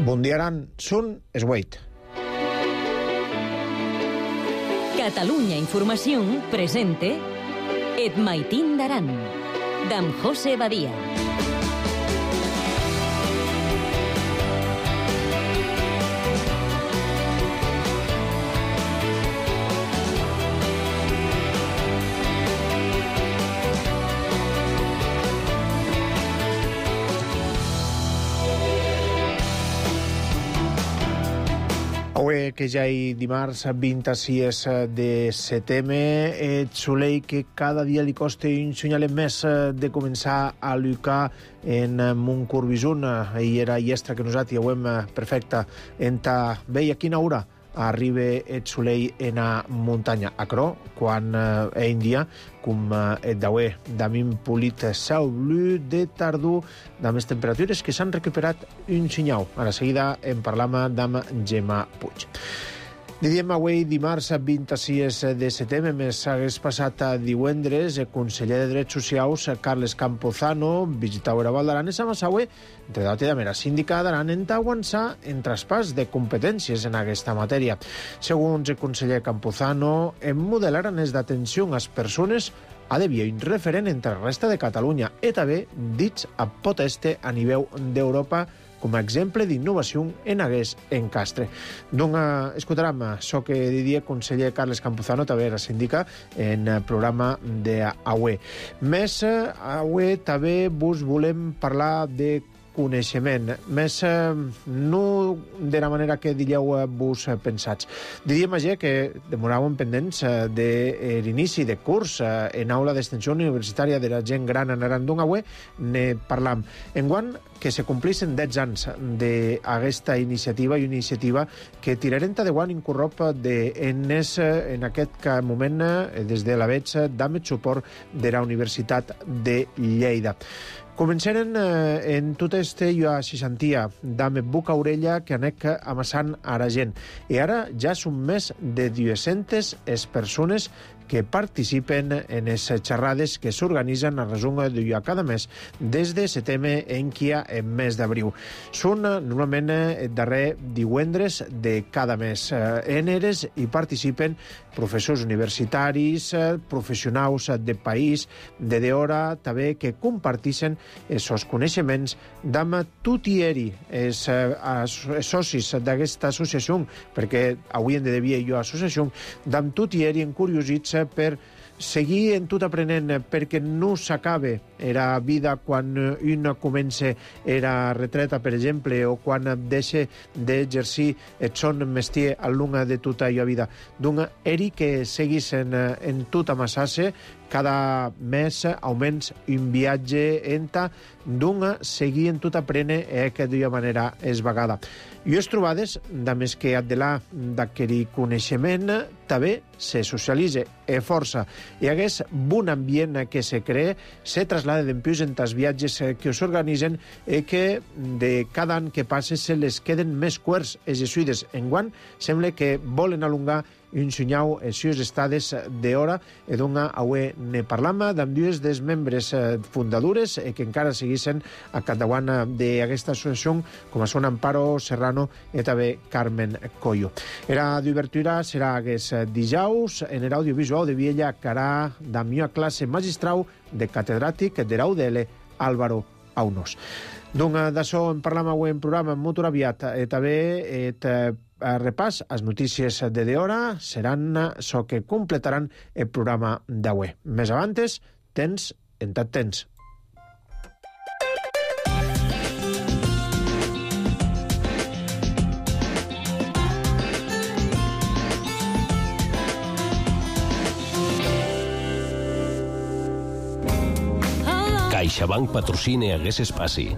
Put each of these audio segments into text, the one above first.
Bundiaran Sun Esweit. Catalunya Información presente Et Maitín d'Aran, d'en José Badia. Avui, que ja hi dimarts 26 de setembre, et solei que cada dia li costa un senyalet més de començar a lluitar en Montcorbisun. Ahir era iestra que nosaltres ja ho hem perfecte. Enta veia quina hora arriba et solei en a muntanya. Acrò, quan en dia, com et daué, d'amim polit cel blu de tardor, de més temperatures que s'han recuperat un senyal. A la seguida en parlam amb Gemma Puig. Diem avui dimarts 26 de setembre, més hagués passat divendres, el conseller de Drets Socials, Carles Campuzano, visitau era Val d'Aran, amb avui, entre d'altra de mera síndica d'Aran, en avançar en traspàs de competències en aquesta matèria. Segons el conseller Campuzano, en modelaran les d'atenció a les persones ha d'haver un referent entre la resta de Catalunya i també dits a poteste a nivell d'Europa com a exemple d'innovació en hagués en Castre. Donc, escoltarem això que diria conseller Carles Campuzano, també la sindica, en el programa d'avui. Més, avui també vos volem parlar de coneixement, més no de la manera que diríeu vos pensats. Diríem ja que demoràvem pendents de l'inici de curs en aula d'extensió universitària de la gent gran en Aran. Avui ne parlam. Enguany que se complixen 10 anys d'aquesta iniciativa i una iniciativa que tirarem de guany incorrop en aquest moment des de la veig d'àmbit suport de la Universitat de Lleida. Començaren en tot este jo a seixantia d'ame boca orella que anec amassant a la gent. I ara ja són més de 200 les persones que participen en les xerrades que s'organitzen a resum de cada mes des de setembre en el mes d'abril. Són normalment el darrer divendres de cada mes. En eres hi participen professors universitaris, professionals de país, de d'hora, també que comparteixen els coneixements d'am tutieri, els socis d'aquesta associació, perquè avui en de devia jo associació, d'am tutieri encuriosits per seguir en tot aprenent, perquè no s'acabe la vida quan un comença la retreta, per exemple, o quan deixa d'exercir el son mestier al long de tota la vida. Donc, eri que seguís en tot amassar-se, cada mes augments un viatge enta, donc seguir en tot aprendre que d'una manera és vegada. I les trobades, de més que adelar d'aquest coneixement, també se socialitza força. Hi hagués un ambient que se crea, se traslada d'empius en els viatges que s'organitzen i que de cada any que passa se les queden més curts els jesuïdes. Enguany sembla que volen alongar un senyal els seus estades d'hora i doncs avui ne parlam amb dues dels membres fundadores que encara seguissin a capdavant d'aquesta associació, com són Amparo Serrano i també Carmen Coyo. Era d'obertura serà aquest dijous en l'audiovisual de Viella Carà de la classe magistral de catedràtic de l'UDL Álvaro Aunos. Donc d'això en parlam avui en programa molt aviat i també repàs les notícies de d'hora seran això que completaran el programa d'avui. Més avantes, tens en tot temps. CaixaBank patrocina hagués espaci.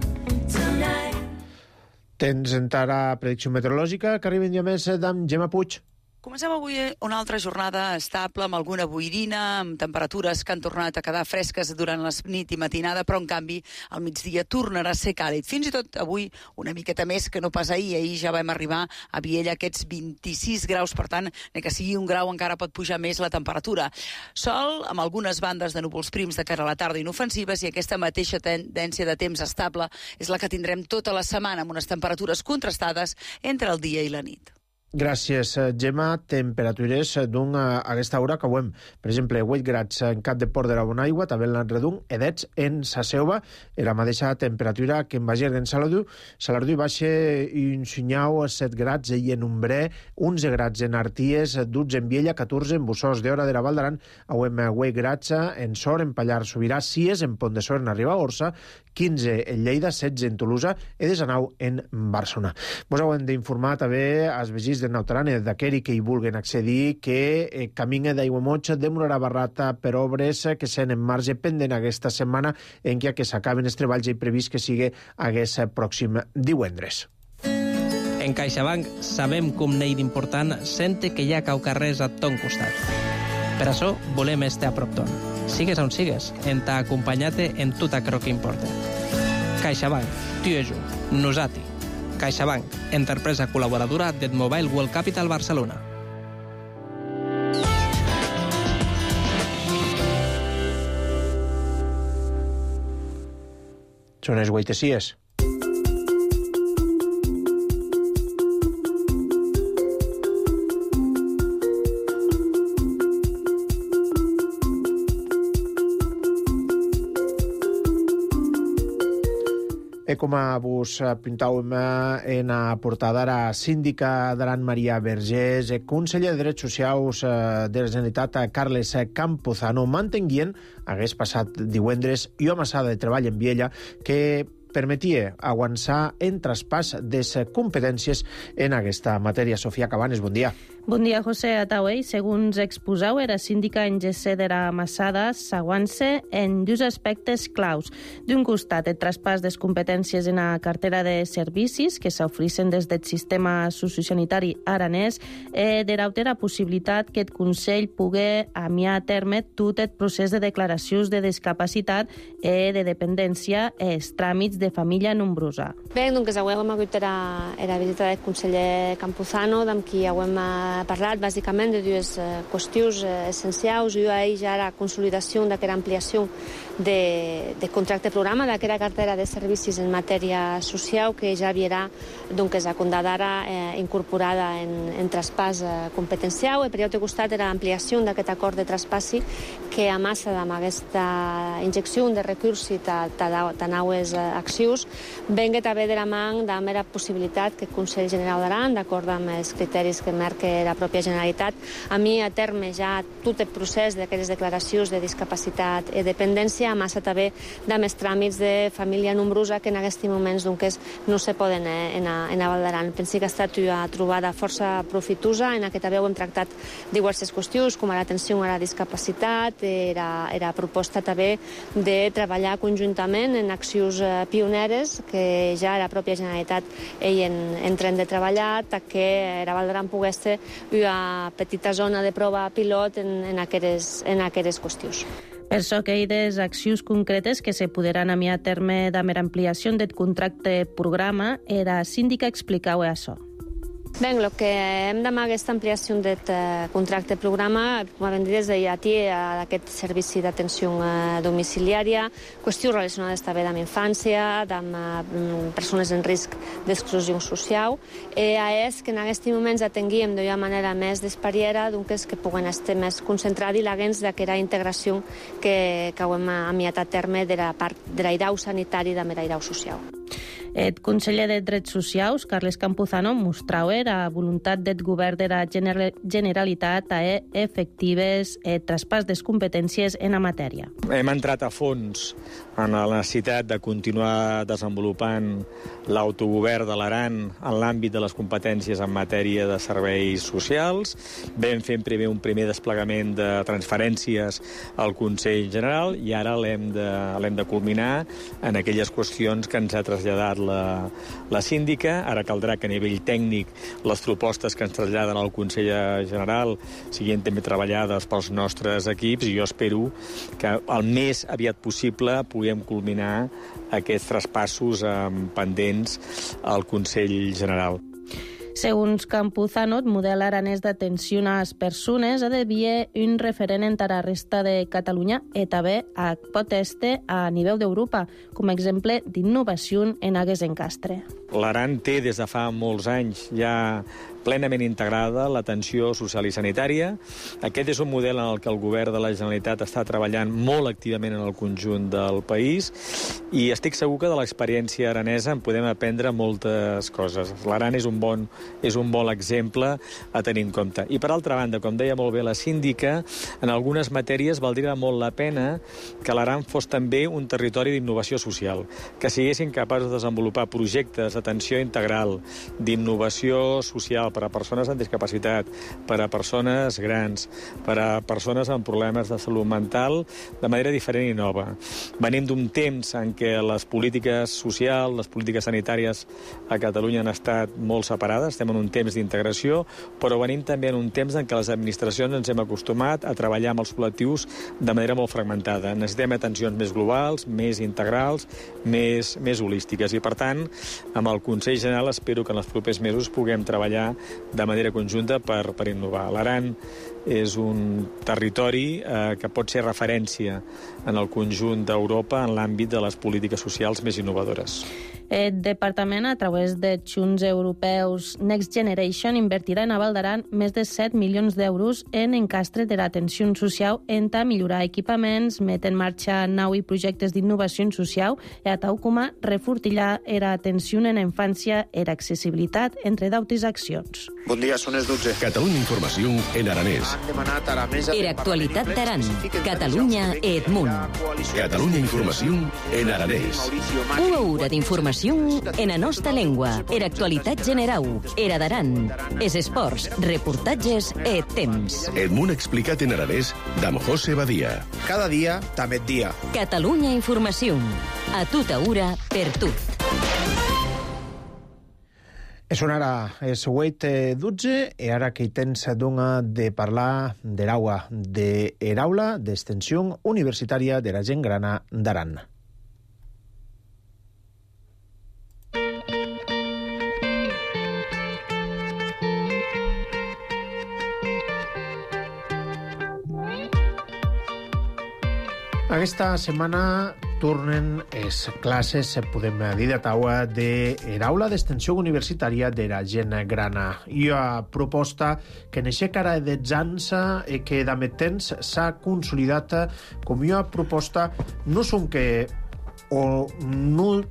Tens encara predicció meteorològica que arriben ja més d'en Gemma Puig. Comencem avui una altra jornada estable, amb alguna boirina, amb temperatures que han tornat a quedar fresques durant la nit i matinada, però en canvi al migdia tornarà a ser càlid. Fins i tot avui una miqueta més que no pas ahir. Ahir ja vam arribar a Viella aquests 26 graus, per tant, ni que sigui un grau encara pot pujar més la temperatura. Sol, amb algunes bandes de núvols prims de cara a la tarda inofensives, i aquesta mateixa tendència de temps estable és la que tindrem tota la setmana, amb unes temperatures contrastades entre el dia i la nit. Gràcies, Gemma. Temperatures d'un a aquesta hora que veiem, per exemple, 8 grads en Cap de Port de la Bonaigua, també en l'Enredung, edets en Saseuva, la mateixa temperatura que en Bager d'en Saladú. Saladú baixa un Sunyau, 7 grads i en Umbré, 11 grads en Arties, 12 en Viella, 14 en Bussós d'Hora de la Val d'Aran, veiem 8 grads en Sor, en Pallar Sobirà, 6 en Pont de Sor, en Ribagorça, 15 en Lleida, 16 en Tolosa i 19 en Barcelona. Vos hem d'informar també als veïns de Nautaran i d'aquells que hi vulguen accedir que camí d'Aiguamoig demorarà barrata per obres que s'han en marge pendent aquesta setmana en què s'acaben els treballs i previst que sigui aquest pròxim divendres. En CaixaBank sabem com n'hi d'important sente que hi ha caucarrers a ton costat. Per això volem estar a prop ton. Sigues on sigues, en t'ha acompanyat-te en tot aquello que importa. CaixaBank, tu i jo, nosati. CaixaBank, empresa col·laboradora del Mobile World Capital Barcelona. Són els 8:06. Com vos pintàvem en la portada, la síndica d'Aran Maria Vergés, conseller de Drets Socials de la Generalitat Carles Campuzano, mantenguien hagués passat divendres i una massada de treball en Viella que permetia avançar en traspàs de competències en aquesta matèria. Sofia Cabanes, bon dia. Bon dia, José Atauey. Segons exposau, era síndica en GC de la Massada s'aguance en dos aspectes claus. D'un costat, el traspàs de competències en la cartera de servicis que s'ofereixen des del sistema sociosanitari aranès, de l'altra la possibilitat que el Consell pugui amiar a terme tot el procés de declaracions de discapacitat i de dependència i els tràmits de família nombrosa. Bé, doncs avui hem hagut la visita del conseller Campuzano, amb qui hem parlat bàsicament de dues qüestions essencials. Una d'elles ja la consolidació d'aquesta ampliació de contracte programa, d'aquesta cartera de servicis en matèria social que ja havia doncs, ara incorporada en traspàs competencial. I per l'altre costat era l'ampliació d'aquest acord de traspassi que amassa amb aquesta injecció de recursos tan noves accions venga també de la mà amb la possibilitat que el Consell General d'Aran, d'acord amb els criteris que marca la pròpia Generalitat, a mi a terme ja tot el procés d'aquestes declaracions de discapacitat i dependència amassa també de més tràmits de família nombrosa que en aquests moments no se poden anar a Val d'Aran. Penso que ha estat una trobada força profitosa en què també hem tractat diverses qüestions com l'atenció a la discapacitat, la proposta també de treballar conjuntament en accions pioneres que ja la pròpia Generalitat en tren de treballar que la Val d'Aran pogués ser una petita zona de prova pilot en aquestes qüestions. Per això que hi ha des accions concretes que se podran amiar a terme de mera ampliació del contracte programa, la síndica explicau això. Bé, el que hem d'amar aquesta ampliació del contracte programa, com hem dit des de llatí, d'aquest servici d'atenció domiciliària, qüestions relacionades també amb infància, amb persones en risc d'exclusió social, és que en aquests moments atenguíem d'una manera més d'espariera, doncs que puguen estar més concentrats i l'agens d'aquesta integració que hem amiat a terme de la part de l'airau sanitari i de l'airau social. El conseller de Drets Socials, Carles Campuzano, mostrava la voluntat del govern de la Generalitat a efectives traspàs de competències en la matèria. Hem entrat a fons en la necessitat de continuar desenvolupant l'autogovern de l'Aran en l'àmbit de les competències en matèria de serveis socials. Vam fer primer un primer desplegament de transferències al Consell General i ara l'hem de culminar en aquelles qüestions que ens ha traslladat la síndica. Ara caldrà que a nivell tècnic les propostes que ens traslladen al Consell General siguin també treballades pels nostres equips, i jo espero que el més aviat possible puguem culminar aquests traspassos pendents al Consell General. Segons Campuzano, el model aranès d'atenció a les persones ha de ser un referent en la resta de Catalunya i també pot estar a nivell d'Europa, com a exemple d'innovació en Agues Encastre. L'Aran té des de fa molts anys ja plenament integrada l'atenció social i sanitària. Aquest és un model en el que el govern de la Generalitat està treballant molt activament en el conjunt del país, i estic segur que de l'experiència aranesa en podem aprendre moltes coses. L'Aran és un bon exemple a tenir en compte. I per altra banda, com deia molt bé la síndica, en algunes matèries valdria molt la pena que l'Aran fos també un territori d'innovació social, que siguessin capaços de desenvolupar projectes d'atenció integral, d'innovació social per a persones amb discapacitat, per a persones grans, per a persones amb problemes de salut mental, de manera diferent i nova. Venim d'un temps en què les polítiques socials, les polítiques sanitàries a Catalunya han estat molt separades, estem en un temps d'integració, però venim també en un temps en què les administracions ens hem acostumat a treballar amb els col·lectius de manera molt fragmentada. Necessitem atencions més globals, més integrals, més holístiques, i per tant, amb el Consell General espero que en els propers mesos puguem treballar de manera conjunta per innovar. L'Aran és un territori que pot ser referència en el conjunt d'Europa en l'àmbit de les polítiques socials més innovadores. El departament, a través de Junts Europeus Next Generation, invertirà en Val d'Aran més de 7 milions d'euros en encastre de l'atenció social, en millorar equipaments, met en marxa nou projectes d'innovació social i a tal com a refortillar l'atenció en infància i l'accessibilitat, entre d'altres accions. Bon dia, són les 12. Catalunya Informació en aranès. Era actualitat d'Aran, Catalunya i Edmunt. Catalunya Informació en aranès. Una hora d'informació en la nostra llengua. Era actualitat general, era d'Aran. És esports, reportatges i temps. Edmunt explicat en aranès d'Am José Badia. Cada dia, també dia. Catalunya Informació. A tota hora, per tot. És una ara, és 8:12, i ara que hi tens de parlar de l'aula d'extensió universitària de la gent grana d'Aran. Aquesta setmana tornen les classes, podem dir, de taula de l'aula d'extensió universitària de la gent grana. I una proposta que neixé cara de anys i que de temps s'ha consolidat com una proposta no són que o no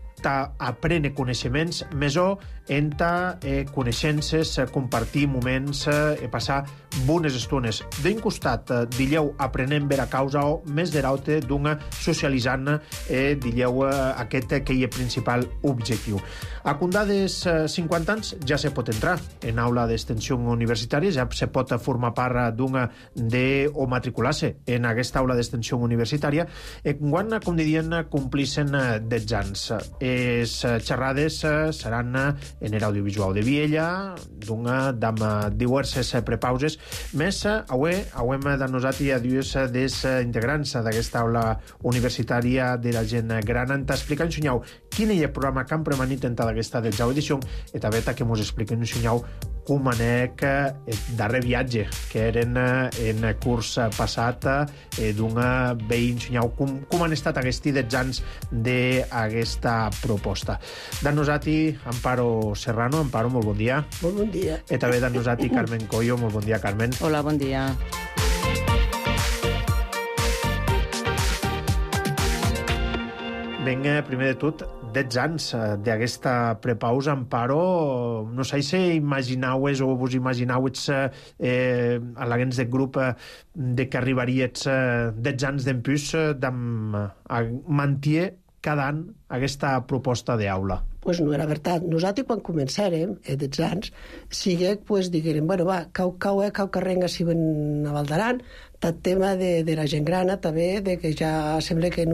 aprene coneixements, més o enta coneixences, compartir moments i passar bones estones. D'un costat, dilleu, aprenem vera causa o més de l'altre d'una socialitzant, dilleu, aquest que hi és principal objectiu. A condades 50 anys ja se pot entrar en aula d'extensió universitària, ja se pot formar part d'una o matricular-se en aquesta aula d'extensió universitària, quan, com dirien, complixen 10 anys. Les xerrades seran en l'audiovisual de Viella, amb diverses prepauses, més avui hem de nosaltres a dues dels integrants d'aquesta aula universitària de la gent gran, t'expliquen, Xunyau, quin és el programa que han premanit en aquesta 10a edició, i també que ens expliquen, Xunyau, com anec el darrer viatge que eren en curs passat d'un veïn, Xunyau, com han estat aquests 10 anys d'aquesta proposta. De nosaltres, Amparo Serrano. Amparo, molt bon dia. Molt bon dia. I també de nosaltres, Carmen Coyo. Molt bon dia, Carmen. Hola, bon dia. Vinga, primer de tot, 10 anys d'aquesta prepausa, Amparo. No sé si imaginaues o vos imaginaues a l'agents del grup de que arribaries 10 anys d'empús de mantenir cada any aquesta proposta d'aula. Pues no era veritat. Nosaltres, quan començàrem, 10 anys, sigue, pues, diguérem, bueno, va, cau carrenga si ven a Val d'Aran, tot tema de la gent grana, també, de que ja sembla que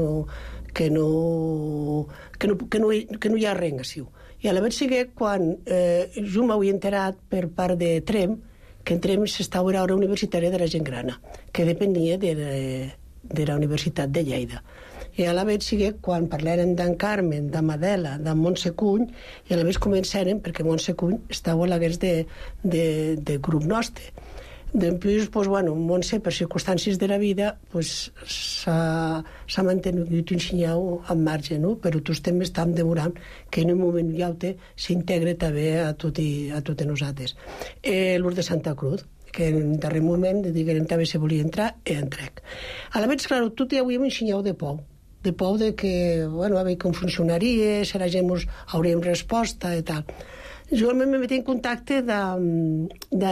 que no hi ha res així. I a la vegada sigui quan jo m'havia enterat per part de Trem, que en Trem s'estava a l'hora universitària de la gent grana, que depenia de la Universitat de Lleida. I a la vegada sigui quan parlaren d'en Carmen, de Madela, de Montse Cuny, i a la vegada començaren, perquè Montse Cuny estava a l'hagués de grup nostre. Després, Montse, per circumstàncies de la vida, s'ha mantingut ensenyant en marge, no? Però tots també estem demorant que en un moment i altre s'integre també a totes nosaltres. L'Urs de Santa Cruz, que en el darrer moment diguem també se volia entrar, i entrec. A la vegada, clar, tot ja ho hem ensenyat de por de que, a veure com funcionaria, si la gent ens hauríem resposta i tal. Jo me metí en contacte de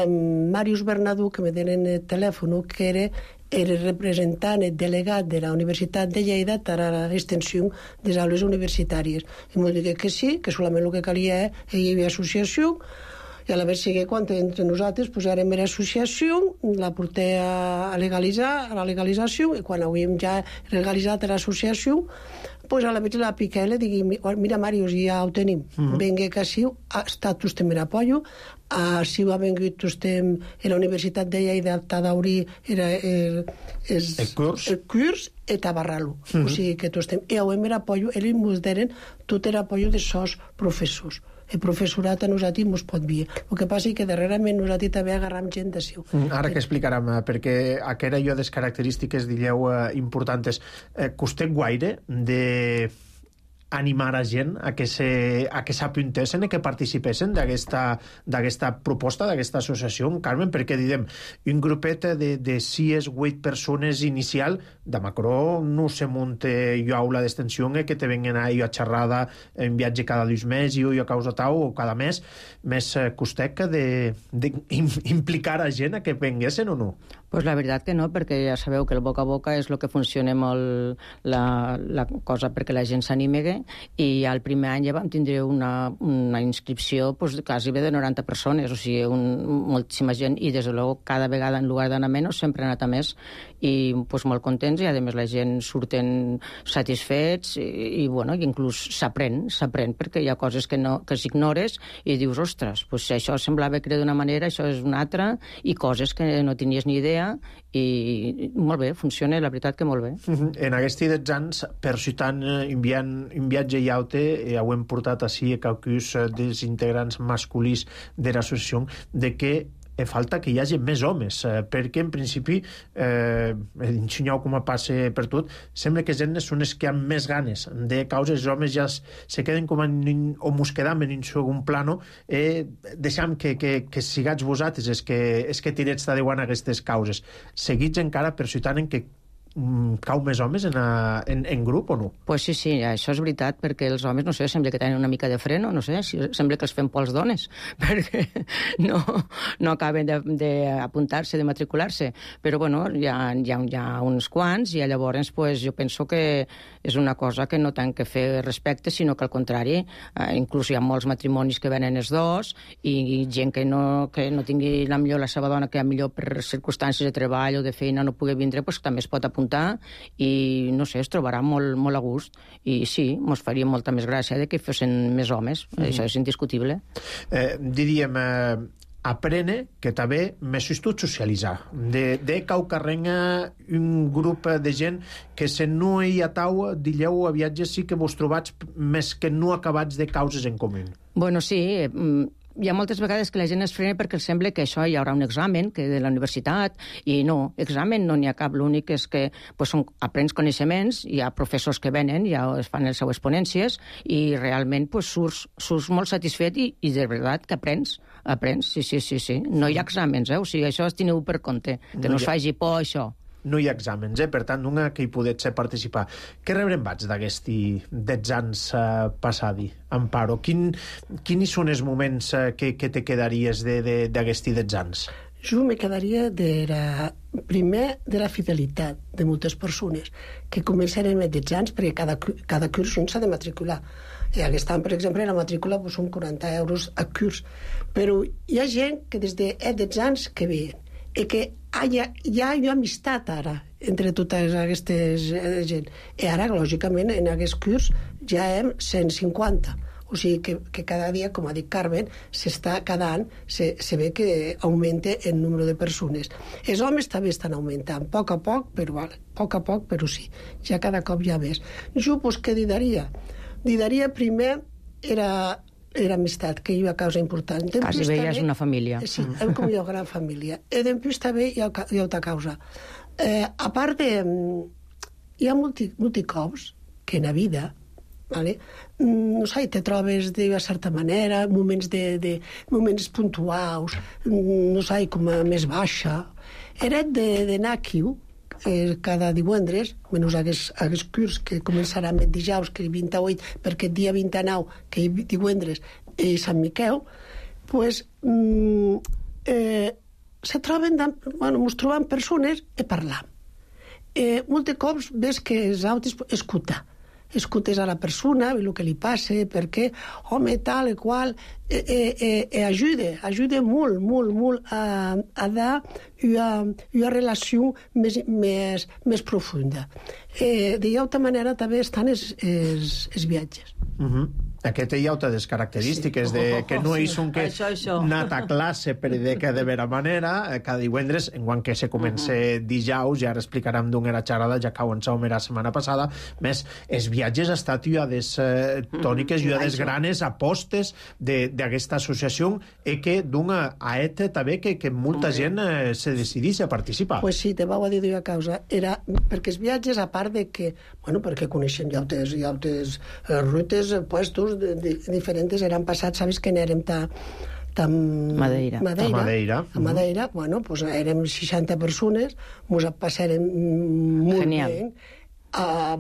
Màrius Bernadú, que me tenen el telèfon, que era el representant, el delegat de la Universitat de Lleida per a l'extensió de les aules universitàries. I m'ho digué que sí, que solament el que calia hi havia associació, i a la vegada sigui quan entre nosaltres posarem l'associació, la porté a legalitzar, a la legalització, i quan havíem ja legalitzat l'associació, pues a la vegada la piqué i le digui, mira, Màrius, ja ho tenim. Venga que així, ha estat vostè en apoyo, així ha vengut vostè a la Universitat de Lleida a d'obrir el curs i a barrar-lo. O sigui que tots estem. I ho hem apoyo, ells ens donen tot l'apoyo de sos professors. El professorat a nosaltres ens pot dir. El que passa és que darrerament nosaltres també agarram gent d'ací. Ara que explicarem, perquè aquella jo des característiques, digueu, importants. Costet guaire de animar a gent a que s'apuntessin i que participessin d'aquesta proposta, d'aquesta associació, Carmen, perquè diguem, un grupet de 6 o 8 persones inicial, de macro no se munte jo aula d'extensió que te vengan a xerrada en viatge cada 2 mesos o a causa tau o cada mes, més costet que d'implicar a gent a que venguessin o no? Pues la veritat que no, perquè ja sabeu que el boca a boca és el que funciona molt la cosa perquè la gent s'anime, i al primer any ja vam tindre una inscripció quasi bé de 90 persones, o sigui, moltíssima gent, i des de luego cada vegada en lloc d'anar menys sempre ha anat a més, i molt contents, i a més la gent surten satisfets, i inclús s'aprèn, perquè hi ha coses que s'ignores i dius, ostres, això semblava que era d'una manera, això és una altra, i coses que no tenies ni idea, i molt bé, funciona, la veritat que molt bé. En aquests 10 anys, per ciutat, un viatge i aute, ho hem portat així a qualcus dels integrants masculins de l'associació, de que falta que hi hagi més homes, perquè en principi ensenyau com a passe per tot, sembla que gent són els que han més ganes de causes, els homes ja se queden com o mos quedam en un segon plano, deixam que sigats vosaltres els que tirets d'adeuant aquestes causes. Seguits encara per ciutant en que cau més homes en grup o no? Pues sí, això és veritat, perquè els homes, no sé, sembla que tenen una mica de freno, no sé, sembla que els fem por als dones, perquè no acaben d'apuntar-se, de matricular-se, però hi ha uns quants, i llavors jo penso que és una cosa que no tant que fer respecte, sinó que al contrari, inclús hi ha molts matrimonis que venen els dos, i gent que no tingui millor la seva dona, que millor per circumstàncies de treball o de feina no pugui vindre, també es pot apuntar, i no sé, es trobarà molt a gust, i sí, mos faria molta més gràcia que fossin més homes, això és indiscutible. Diríem, aprene que també més tot socialitzar, de cau carrenga un grup de gent que se no hi ha tau, dilleu a viatges sí que vos trobats més que no acabats de causes en comú. Bueno, sí, hi ha moltes vegades que la gent es frena perquè els sembla que això hi haurà un examen que de la universitat, i no, examen no n'hi ha cap, l'únic és que aprens coneixements, hi ha professors que venen, ja es fan les seues ponències, i realment surts molt satisfet, i de veritat que aprens, sí. No hi ha exàmens, o sigui, això es teniu per compte, que no us faci por això. No hi ha exàmens, per tant, una que hi podets participar. Què rebrem vaig d'aquests 10 anys passadi, Amparo? Quins són els moments que te quedaries d'aquests 10 anys? Jo me quedaria primer de la fidelitat de moltes persones, que començarem a 10 anys, perquè cada curs s'ha de matricular. I aquest any, per exemple, la matrícula són 40 euros a curs. Però hi ha gent que des de 10 anys que veien, i que hi ha amistat ara, entre totes aquestes gent. I ara, lògicament, en aquest curs ja hem 150. O sigui que cada dia, com ha dit Carmen, cada any se ve que augmenta el número de persones. Els homes també estan augmentant, a poc, però sí. Ja cada cop hi ha més. Jo, doncs, què diria? Diria primer era amistat, que hi ha causa important. Quasi bé ja és una família. Sí, hem com una gran família. I després també hi ha altra causa. A part de... Hi ha molts cops que en la vida, vale? No sé, te trobes de certa manera, moments puntuals, no sé, com a més baixa. Era d'anar aquí cada divendres, menys aquest curs que començarà amb el dijous, que el 28, perquè el dia 29, que és divendres, és Sant Miquel, doncs ens trobem persones i parlam. Molts cops ves que els altres escoltes a la persona, el que li passa, perquè, home, tal i qual, ajuda molt a dar una relació més profunda. D'altra manera també estan els viatges. Aquest hi ha altres característiques, que no és un que anat a classe per de vera manera, cada divendres, en quan que se comença dijous, ja ara explicarem d'on era xerrada, ja cau en som la setmana passada, més els viatges ha estat uades tòniques i uades granes apostes d'aquesta associació i que d'una aeta també que molta gent se decidís a participar. Pues sí, te vau a dir d'una causa. Era perquè els viatges, a part de que, perquè coneixem ja altres rutes, puestos diferents, eren passats, sabes que n'érem a Madeira. A Madeira, pues érem 60 persones, mos passarem molt bé,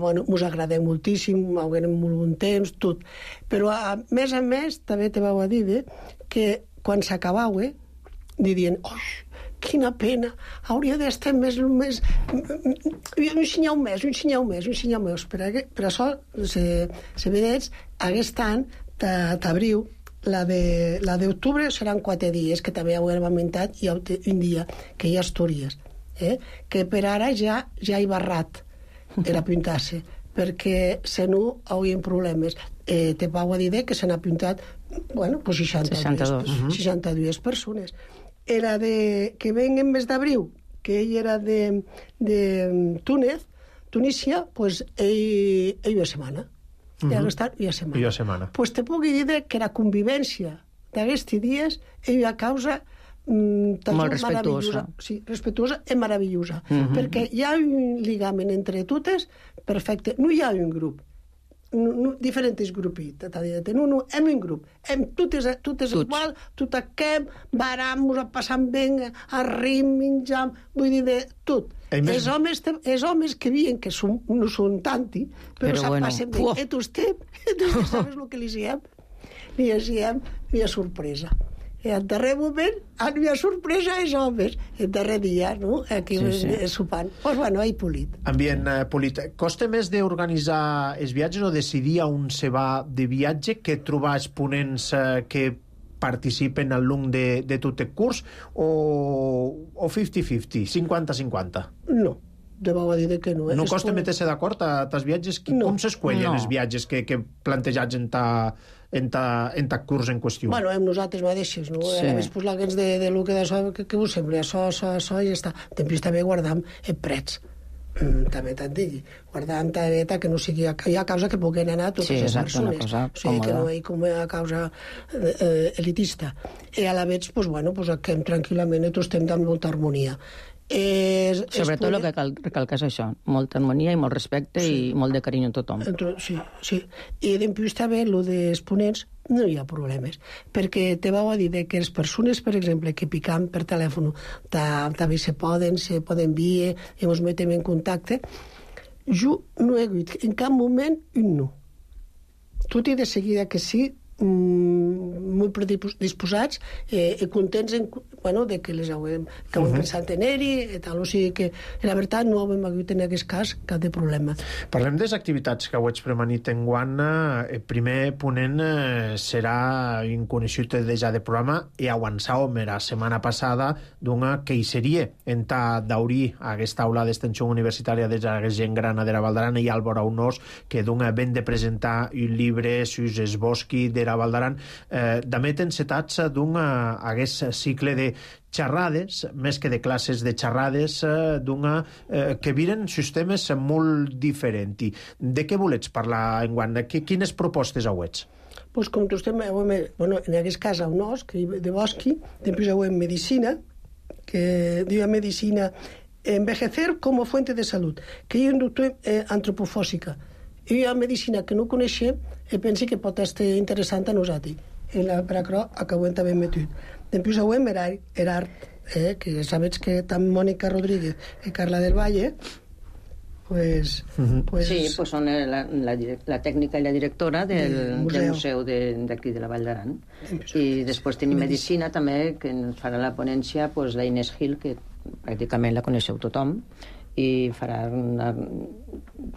mos agradem moltíssim, haguem molt bon temps, tot. Però, a més, també te vau a dir que quan s'acabau, dirien, quina pena, hauria d'estar més... Un senyau més. Per això, se vedets, aquest any, d'abril, la d'octubre seran 4 dies, que també ho hem augmentat, i un dia, que hi ha Astúries, que per ara ja hi barrat era apuntar-se, perquè se no haurien problemes. Te vau a dir que se n'ha apuntat 62 persones. Era que ven en mes d'abril, que ell era de Tunísia, doncs ell una setmana. I ha estat una setmana. Doncs te puc dir que la convivència d'aquests dies és una causa molt respectuosa. Sí, respectuosa i meravellosa. Perquè hi ha un lligament entre totes perfecte. No hi ha un grup. Diferents grupitos, no, hem un grup, tot és igual, tot aquem, baram, ens passam bé, arrim, menjam, vull dir, de tot. Els homes que veien que no són tanti, però se'n passen bé. I tu sabes el que li diem? Li diem una sorpresa. I al darrer moment, una sorpresa als homes. El darrer dia, no? Aquí sopant. Doncs, ahí polit. Ambient polit. Costa més d'organitzar els viatges o decidir on se va de viatge que trobar els ponents que participen al long de tot el curs o 50-50, 50-50? No. Deveu dir que no. No costa meter-se d'acord als viatges? Com s'escuellen els viatges que plantejats en ta curs en qüestió? Amb nosaltres mateixes, no? A més, pues, la gens de lo que d'això, que us sembla, això, i ja està. Després també guardam prets. També t'han dit, guardant que no sigui a causa que puguen anar totes les persones, o sigui que no hi com a causa elitista. I a la vegada, pues que tranquil·lament tots estem amb molta harmonia. Sobretot el que cal recalcar és això, molta harmonia i molt respecte i molt de carinyo a tothom. Sí. I després també el dels ponents no hi ha problemes, perquè te vau a dir que les persones, per exemple, que picam per telèfon també se poden enviar i ens metem en contacte. Jo no he dit en cap moment un no. Tot i de seguida que sí, molt predisposats i contents de que les haguem pensat en ell i tal, o sigui que la veritat no hem hagut en aquest cas cap de problema. Parlem de les activitats que heu premanit en guant. El primer ponent serà inconeixut ja de programa i avançàvem la setmana passada d'una que hi seria en d'obrir aquesta aula d'extensió universitària de la gent gran de la Val d'Aran i Álvaro Aunós, que ben de presentar un llibre sus es bosqui de la Val d'Aran. També encetats d'un cicle de xerrades, més que de classes de xerrades, que viren sistemes molt diferents. De què volets parlar enguant? Quines propostes hauets? Pues com tu estem, en aquest cas a Aunós, de bosqui, després hauem medicina, que diu medicina envejecer como fuente de salud, que hi ha un doctor antropofòsica. Hi ha medicina que no coneixem i pensi que pot estar interessant a nosaltres. Per això acabem també metut. Després hauem art, que ja sabets que tant Mònica Rodríguez i Carla del Valle sí, són la tècnica i la directora del museu d'aquí de la Vall d'Aran. I després tenim medicina també, que ens farà la ponència la Inés Gil, que pràcticament la coneixeu tothom, i farà una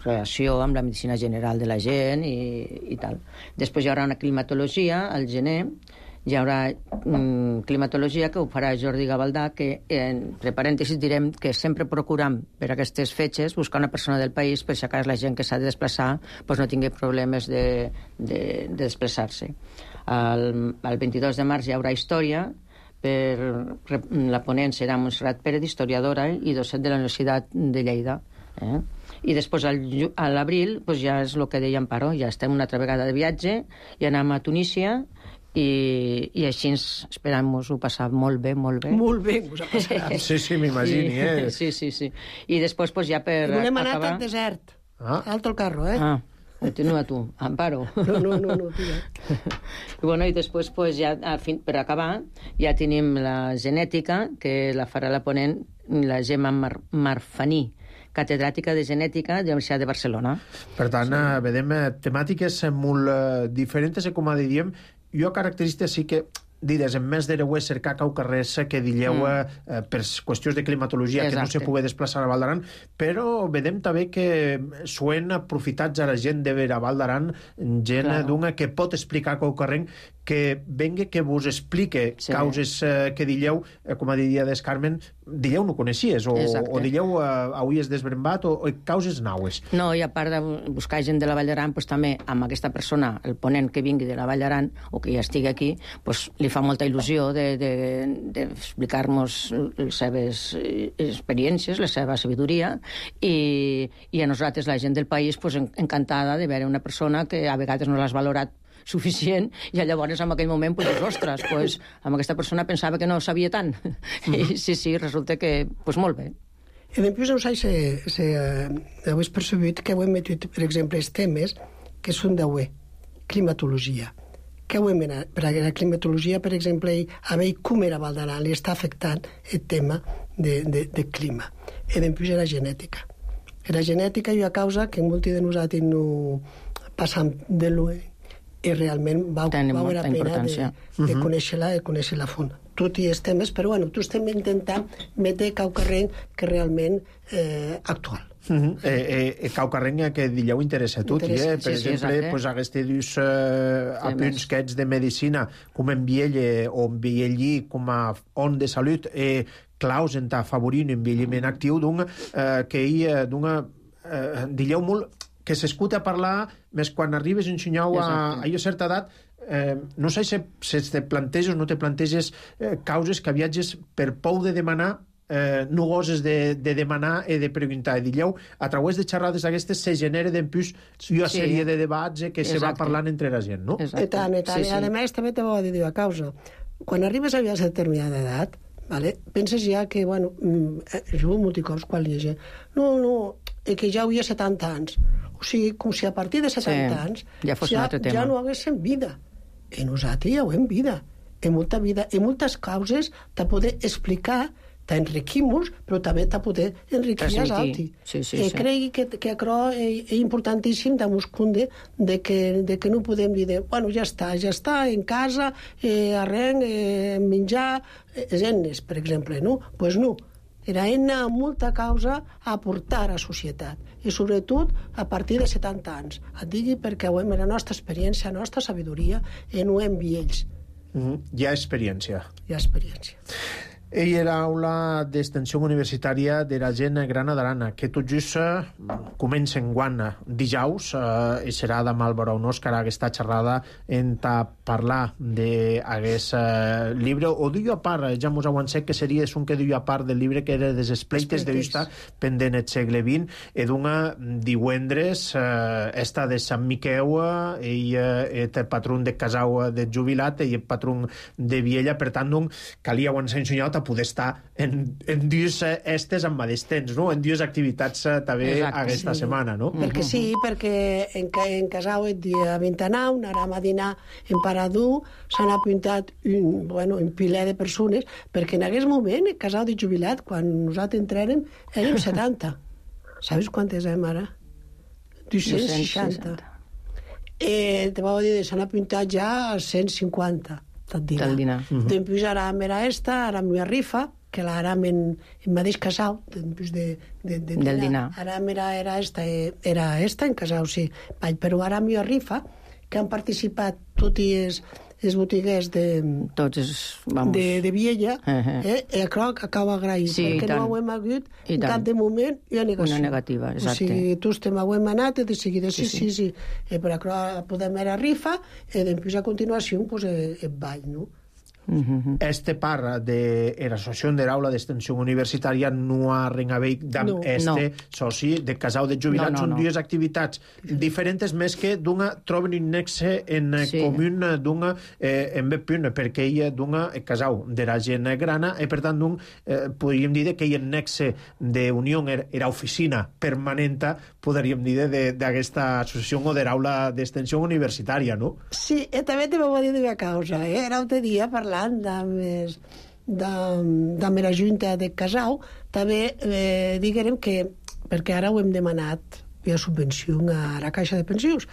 relació amb la medicina general de la gent i tal. Després hi haurà una climatologia al gener. Hi haurà climatologia que ho farà Jordi Gavaldà, que entre parèntesis direm que sempre procuram per aquestes fetges buscar una persona del país per si a cas la gent que s'ha de desplaçar no tingui problemes de desplaçar-se. El 22 de març hi haurà història. La ponent serà Montserrat Pérez, historiadora i docent de la Universitat de Lleida. I després a l'abril ja és el que deia Amparo, ja estem una altra vegada de viatge i anem a Tunísia i així esperem-nos-ho passar molt bé. Molt bé, us ha passat. Sí, m'imagini, Sí. I després ja per acabar... Volem anar al desert. Alto el carro, Continua tu, Amparo. No, tira. I després, ja, per acabar, ja tenim la genètica, que la farà la ponent la Gemma Marfaní, catedràtica de genètica de la Universitat de Barcelona. Per tant, vedem temàtiques molt diferents, com diríem. Jo característica sí que digues, en més d'hereu cercar cau carrers que dilleu per qüestions de climatologia que no se pugui desplaçar a Val d'Aran, però vedem també que suen aprofitats a la gent de la Val d'Aran, gent d'una que pot explicar cau carrer, que venga que vos explique causes que dilleu, com diria des Carmen, dilleu no coneixies, o dilleu avui és desbrembat, o causes naues. No, i a part de buscar gent de la Vall d'Aran, també amb aquesta persona, el ponent que vingui de la Vall d'Aran, o que ja estigui aquí, li fa molta il·lusió d'explicar-nos les seves experiències, la seva sabidoria, i a nosaltres, la gent del país, encantada de veure una persona que a vegades no l'has valorat suficient, i llavors en aquell moment ostres, amb aquesta persona pensava que no sabia tant. I sí, resulta que molt bé. I després heu percebut que heu metut, per exemple, els temes que són climatologia. Que heu menat? Per la climatologia, per exemple, a veure com era Val d'Aran, li està afectant el tema de clima. I després la genètica. La genètica hi ha causa que molts de nosaltres no passam de l'ull i realment va haver la pena de conèixer-la a fons. Tot i els temes, però tu estem intentant metre cau carrer que realment actual. Cau carrer que dilleu interessa a tot, per exemple, aquests dos apunts que ets de medicina, com envielle o enviellir com a on de salut, claus en afavorir un envelliment actiu que hi dilleu molt que s'escuta a parlar més quan arribes a ensenyar a certa edat. No sé si te planteges o no te planteges causes que viatges per por de demanar, no goses de demanar i de preguntar. Dilleu, a través de xerrades d'aquestes se genera d'empús una sèrie de debats que se va parlant entre la gent, no? I tant. I a més també te va dir a causa. Quan arribes a una determinada edat, penses ja que, jo molts cops quan hi ha gent, no, que ja havia 70 anys. O sigui, com si a partir de 70 anys ja no haguéssim vida. I nosaltres ja ho hem vida. I molta vida. I moltes causes de poder explicar t'enriquim-nos, però també t'ha poder enriquir els altres. Crec que això és importantíssim de Muscunde, de que no podem dir, bueno, ja està, en casa, arrenc, menjar, eines, per exemple, no? Doncs no. Era una molta causa a aportar a la societat, i sobretot a partir de 70 anys. Et digui perquè ho hem la nostra experiència, la nostra sabidoria, i no hem vells. Hi ha experiència. Hi ha experiència. Ell era aula d'extensió universitària de la gent grana d'Arana, que tot just comença en guant dijous, i serà demà al Baró Òscar aquesta xerrada en parlar d'aquest llibre, o diu a part, ja mos avancem que seria un que diu a part del llibre que era des espleites de vista pendent el segle XX, i d'una divendres esta de Sant Miqueu, ell és el patró de Casau de Jubilat i el patró de Viella, per tant, calia abans ensenyat a poder estar en dies estes amb mateix temps, no? En dies activitats també aquesta setmana, no? Perquè sí, perquè en Casau el dia 29 anàrem a dinar en Paradú, s'han apuntat un piler de persones, perquè en aquest moment, en Casau de Jubilat, quan nosaltres entrarem, érem 70. Sabes quantes érem ara? 260. Te vau dir, s'han apuntat ja a 150. Del dinar. Després ara era ara mi rifa, que ara en mateix Casau, després del dinar. Ara era esta en Casau, sí. Però ara mi rifa, que han participat tots els botiguers de Viella, i crec que acaba agraït, perquè no ho hem hagut en cap de moment una negació. Una negativa, exacte. O sigui, tots ho hem anat i de seguida, sí. Però podem anar a rifa i després a continuació el ball, no? Este part de l'associació de l'aula d'extensió universitària no ha ringaveig d'amb soci de Casau de Jubilat. Són dues activitats diferents, més que d'una troben un nexe en comú d'una en Bepunt, perquè ella d'una Casau de la gent grana, i per tant podríem dir que el nexe d'unió era oficina permanent, podríem dir, d'aquesta associació o de l'aula d'extensió universitària, no? Sí, i també te vau dir una causa. Era un dia parlant de la Junta de Casau, també diguem que, perquè ara ho hem demanat via subvenció a la Caixa de Pensions,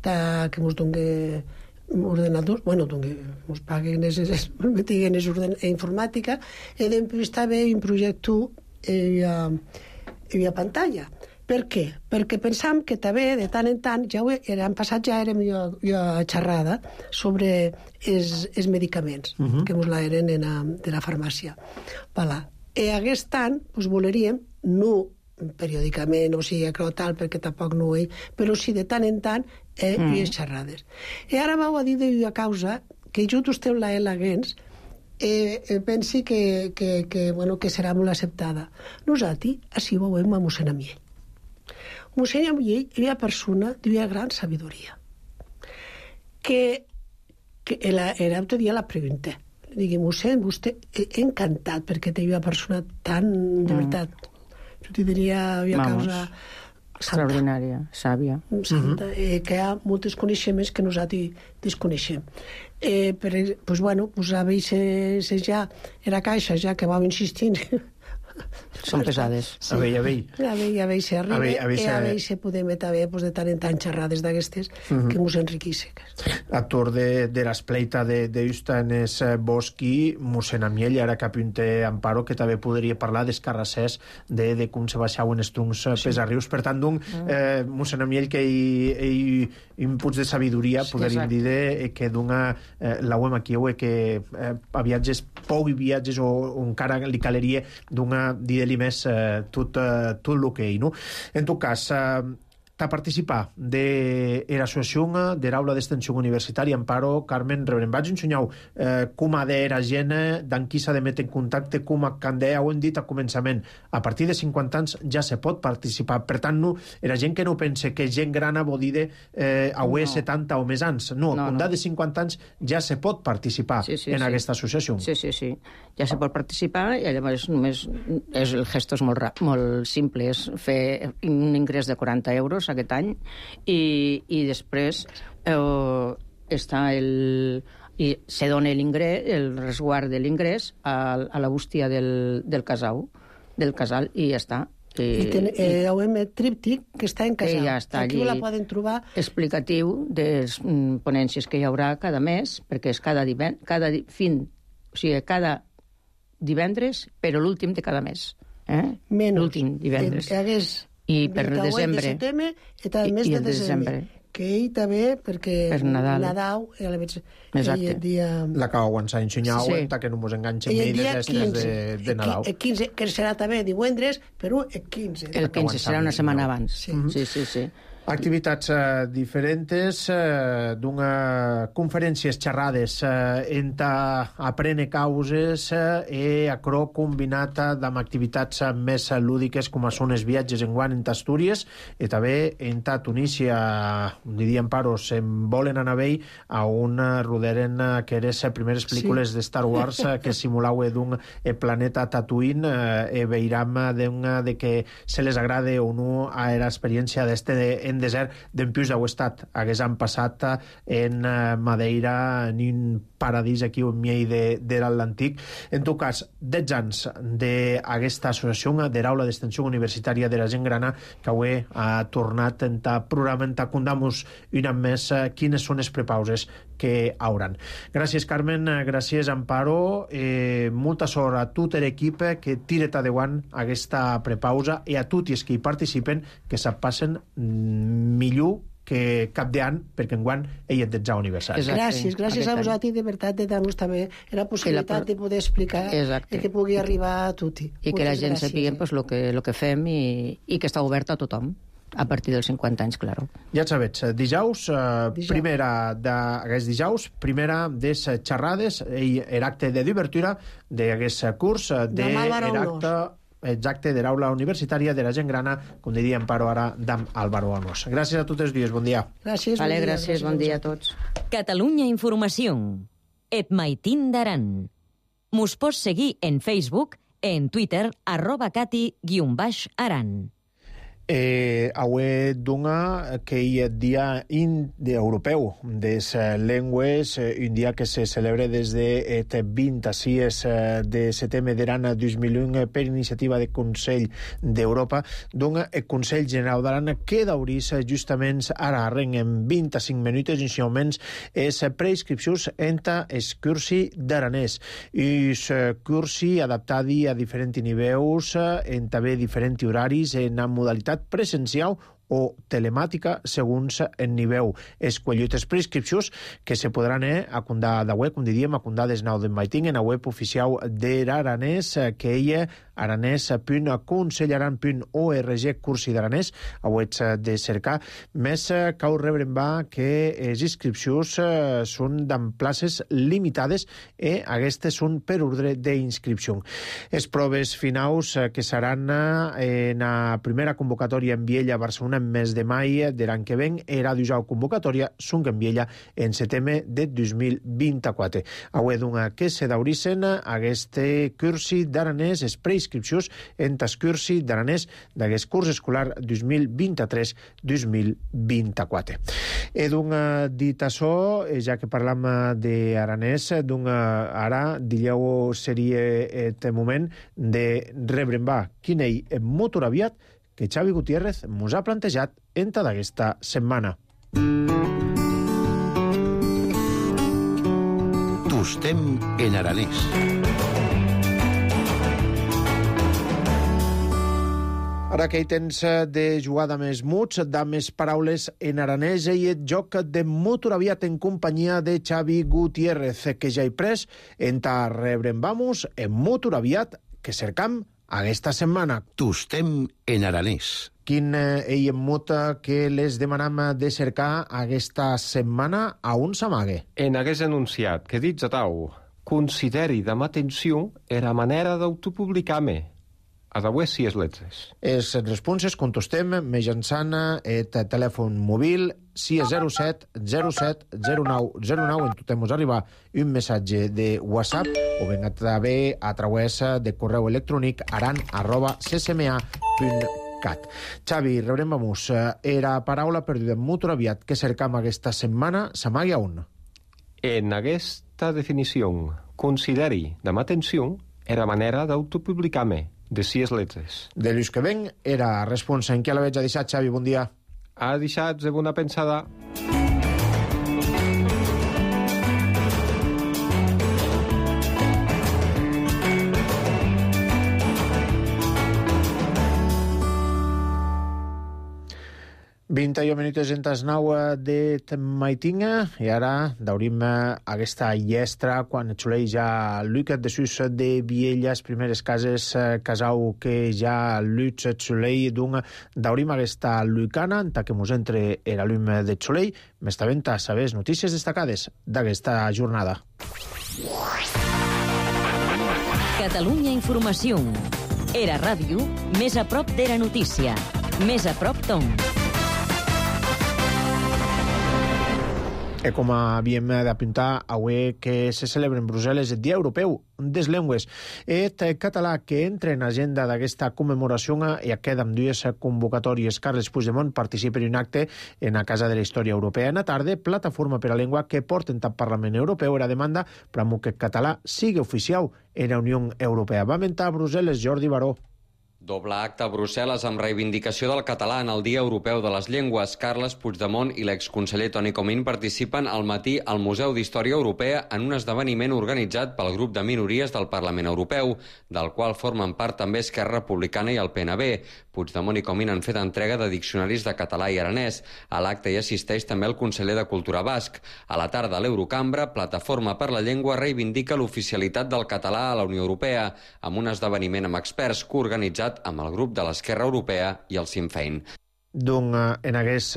que ens doni ordenadors, ens paguen informàtica, i després també un projecte via pantalla. Per què? Perquè pensam que també, de tant en tant, l'any passat ja érem a xerrada sobre els medicaments, que ens la eren de la farmàcia. I aquest any voleríem, no periòdicament, o sigui, tal, perquè tampoc no ho és, però sí de tant en tant les xerrades. I ara vau a dir d'una causa que jo estem la Gens, pensi que serà molt acceptada. Nosaltres, així ho veiem a mossèn Amiell. Mossèn Amiell era una persona d'una gran sabidoria, que l'altre dia la pregunté. Li digui, mossèn, vostè encantat perquè té una persona tan, de veritat, jo t'hi diria una causa extraordinària, sàvia. Santa, que hi ha molts coneixements que nosaltres desconeixem. Doncs, a vegades ja era Caixa, ja que vam insistint, són pesades. A veure. A veure podem també de tant en tant xerrades d'aquestes que ens enriquissin. Actor de l'espleita d'Usta en es Bosqui, mossèn Amiell, ara que apunte Amparo, que també podria parlar dels carrassers de com se baixaven els truncs pesarrius. Per tant, mossèn Amiell, que hi inputs de sabidoria, podríem dir que d'una la UEM aquí, que a viatges, poc viatges, o encara li caleria d'una dir-li més tot el que hi, no? En tot cas, a participar de l'associació de l'aula d'extensió universitària Amparo, Carmen, rebrem. Vaig ensenyar com ha d'era gent, d'en qui s'ha de metre en contacte, com a candea, ho hem dit al començament. A partir de 50 anys ja se pot participar. Per tant, no, era gent que no pense que gent grana vol dir de 70 o més anys. No, com de 50 anys ja se pot participar en aquesta associació. Sí. Ja se pot participar i llavors només el gesto és molt simple, és fer un ingrés de 40 euros aquest any i després està i se dona el resguard de l'ingrés a la bústia del casal, i ja està. Heu tríptic que està en casal. Ja està allí. Aquí la poden trobar. Explicatiu de les ponències que hi haurà cada mes, perquè és cada divendres, però l'últim de cada mes. L'últim divendres. I per desembre. I el mes de desembre. Que ell també, perquè per Nadal, l'acaba aguançant ensenyau, que no mos enganxem ni de Nadal. El 15, que serà també divendres, però el 15. El 15 serà una setmana abans. Sí. Activitats diferents d'una conferències xerrades enta aprene causes e acro combinat amb activitats més lúdiques com són els viatges en guant enta Astúries i també enta Tunísia, diríem paros, en volen anar vell a un roderen que eres primeres pel·lícules de Star Wars que simulau d'un planeta Tatooine e veiram de que se les agrade o no a l'experiència d'este en desert d'empius d'au estat hagués passat en Madeira en un paradís aquí on miei de l'Antic. En tot cas, 10 anys d'aquesta associació de l'Aula d'Extensió Universitària de la Gent Grana que avui ha tornat a programa a contar-nos un any més quines són les prepauses que hauran. Gràcies, Carmen, gràcies, Amparo, molta sort a tot l'equip que tira endavant aquesta prepausa i a tots els que hi participen que se'n passen millor que cap d'any, perquè enguany ell és 10è aniversari. Gràcies a vosaltres, de veritat, de dar-nos també la possibilitat de poder explicar i que pugui arribar a tothom. I que la gent sapigui el que fem i que està obert a tothom. A partir dels 50 anys, clar. Ja sabets, dijous, primera des xerrades, l'acte de d'obertura d'aquest curs de l'acte de l'aula universitària de la Gent Grana, com diria Amparo ara, d'Am Álvaro Onós. Gràcies a tots els dies, bon dia. Gràcies, bon dia a tots. Catalunya Informació. Et maitín d'Aran. Mos pots seguir en Facebook, en Twitter, @cati_aran. Avui dona que hi ha dia europeu de les llengües, un dia que se celebra des de 26 de setembre d'Aran 2001 per iniciativa del Consell d'Europa, dona el Consell General d'Aran que d'aurís justament ara en 25 minuts inicialment és preinscripcions entre els cursi d'aranès. És cursi adaptat a diferents nivells, en també diferents horaris, en modalitat presencial o telemàtica segons el nivell. Es qualitats prescripcions que se podran acundar de web, com diríem, acundar des nou de maiting en la web oficial d'Aranès, que ella aranès.consellaran.org cursi d'aranès, a web de cercar. Més cal rebre que les inscripcions són en places limitades i aquestes són per ordre d'inscripció. Les proves finals que seran en la primera convocatòria en Viella a Barcelona en mes de maig de l'any que ven era d'usar convocatòria són en Viella en setembre de 2024. Avui d'una que se daurissen aquest cursi d'aranès es preinscripcions en tas cursi d'aranès d'aquest curs escolar 2023-2024. I d'un dit això, ja que parlam d'aranès, ara dileu seria el moment de rebre quin ell molt aviat que Xavi Gutiérrez mos ha plantejat en tota aquesta setmana. Tostem en aranès. Ara que hi tens de jugar de més muts, de més paraules en aranès i el joc de molt aviat en companyia de Xavi Gutiérrez, que ja hi pres en ta rebrem vamos en molt aviat que cercam aquesta setmana. Tostem en aranès. Quin ell mot que les demanam de cercar aquesta setmana a on s'amague? En hagués anunciat que dits a tau consideri de atenció era manera d'autopublicar-me. Adaués si és letres. Les responses contestem mitjançant el telèfon mòbil si és 07 07 09 09 en tot mos arribar un missatge de WhatsApp o ben també a través de correu electrònic aran@ccma.cat. Xavi, rebrem vamos. Era paraula perduda molt aviat que cercam aquesta setmana s'amagui a on? En hagués esta definición, consideri de m'atenció, era manera d'autopublicar-me, de 6 letres. De Lluís que ven era responsa. En què la veig a deixar, Xavi? Bon dia. A deixat de bona pensada. Vint minuts entes 9 de maitinga i ara daurim aquesta llestra quan xulei ja Lucat de sus de Vielles, primeres cases casau que ja Lutz xulei d'un daurim aquesta lucana en que mos entre era l'um de xulei m'està vent a saber notícies destacades d'aquesta jornada. Catalunya Informació. Era ràdio, més a prop d'Era Notícia. Més a prop Tom. Com havíem d'apuntar, avui que se celebra en Brussel·les el Dia Europeu des Llengües. El català que entra en agenda d'aquesta commemoració i queda amb dues convocatòries. Carles Puigdemont participa en un acte en la Casa de la Història Europea. En la tarda, Plataforma per la Llengua que porten al Parlament Europeu era demanda per que el català sigui oficial en la Unió Europea. Va mentar a Brussel·les Jordi Baró. Doble acte a Brussel·les amb reivindicació del català en el Dia Europeu de les Llengües. Carles Puigdemont i l'exconseller Toni Comín participen al matí al Museu d'Història Europea en un esdeveniment organitzat pel grup de minories del Parlament Europeu, del qual formen part també Esquerra Republicana i el PNB. Puigdemont i Comín han fet entrega de diccionaris de català i aranès. A l'acte hi assisteix també el conseller de Cultura basc. A la tarda a l'Eurocambra, Plataforma per la Llengua reivindica l'oficialitat del català a la Unió Europea, amb un esdeveniment amb experts coorganitzat amb el grup de l'Esquerra Europea i el Sinn Féin. En aquest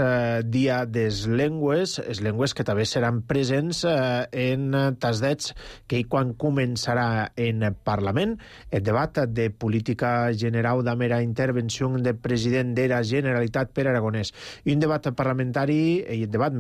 dia des llengües, les llengües que també seran presents en tasdets que quan començarà en Parlament el debat de política general de mera intervenció del president de la Generalitat per Aragonès. I un debat parlamentari, i el debat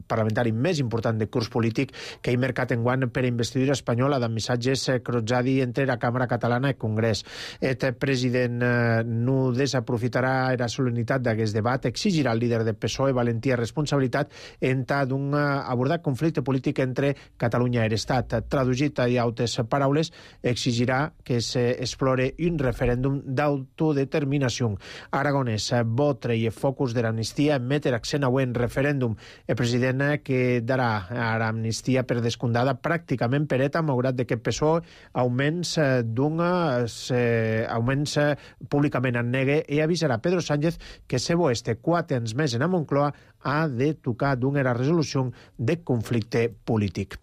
parlamentari més important de curs polític que hi mercat enguany per investidura espanyola de missatges crotzadi entre la Càmera Catalana i el Congrés. El president no desaprofitarà la solemnitat d'aquest debat, exigirà al líder del PSOE valentia i responsabilitat en d'un abordat conflicte polític entre Catalunya i l'Estat. Traduït a altres paraules, exigirà que s'explore un referèndum d'autodeterminació. Aragonès vol treure focus de l'amnistia en metre accent a un referèndum. El president que darà l'amnistia per descomptada pràcticament per ETA, malgrat que el PSOE augments públicament en negue i avisarà Pedro Sánchez que se este 4 anys més en a Moncloa ha de tocar d'una resolució de conflicte polític.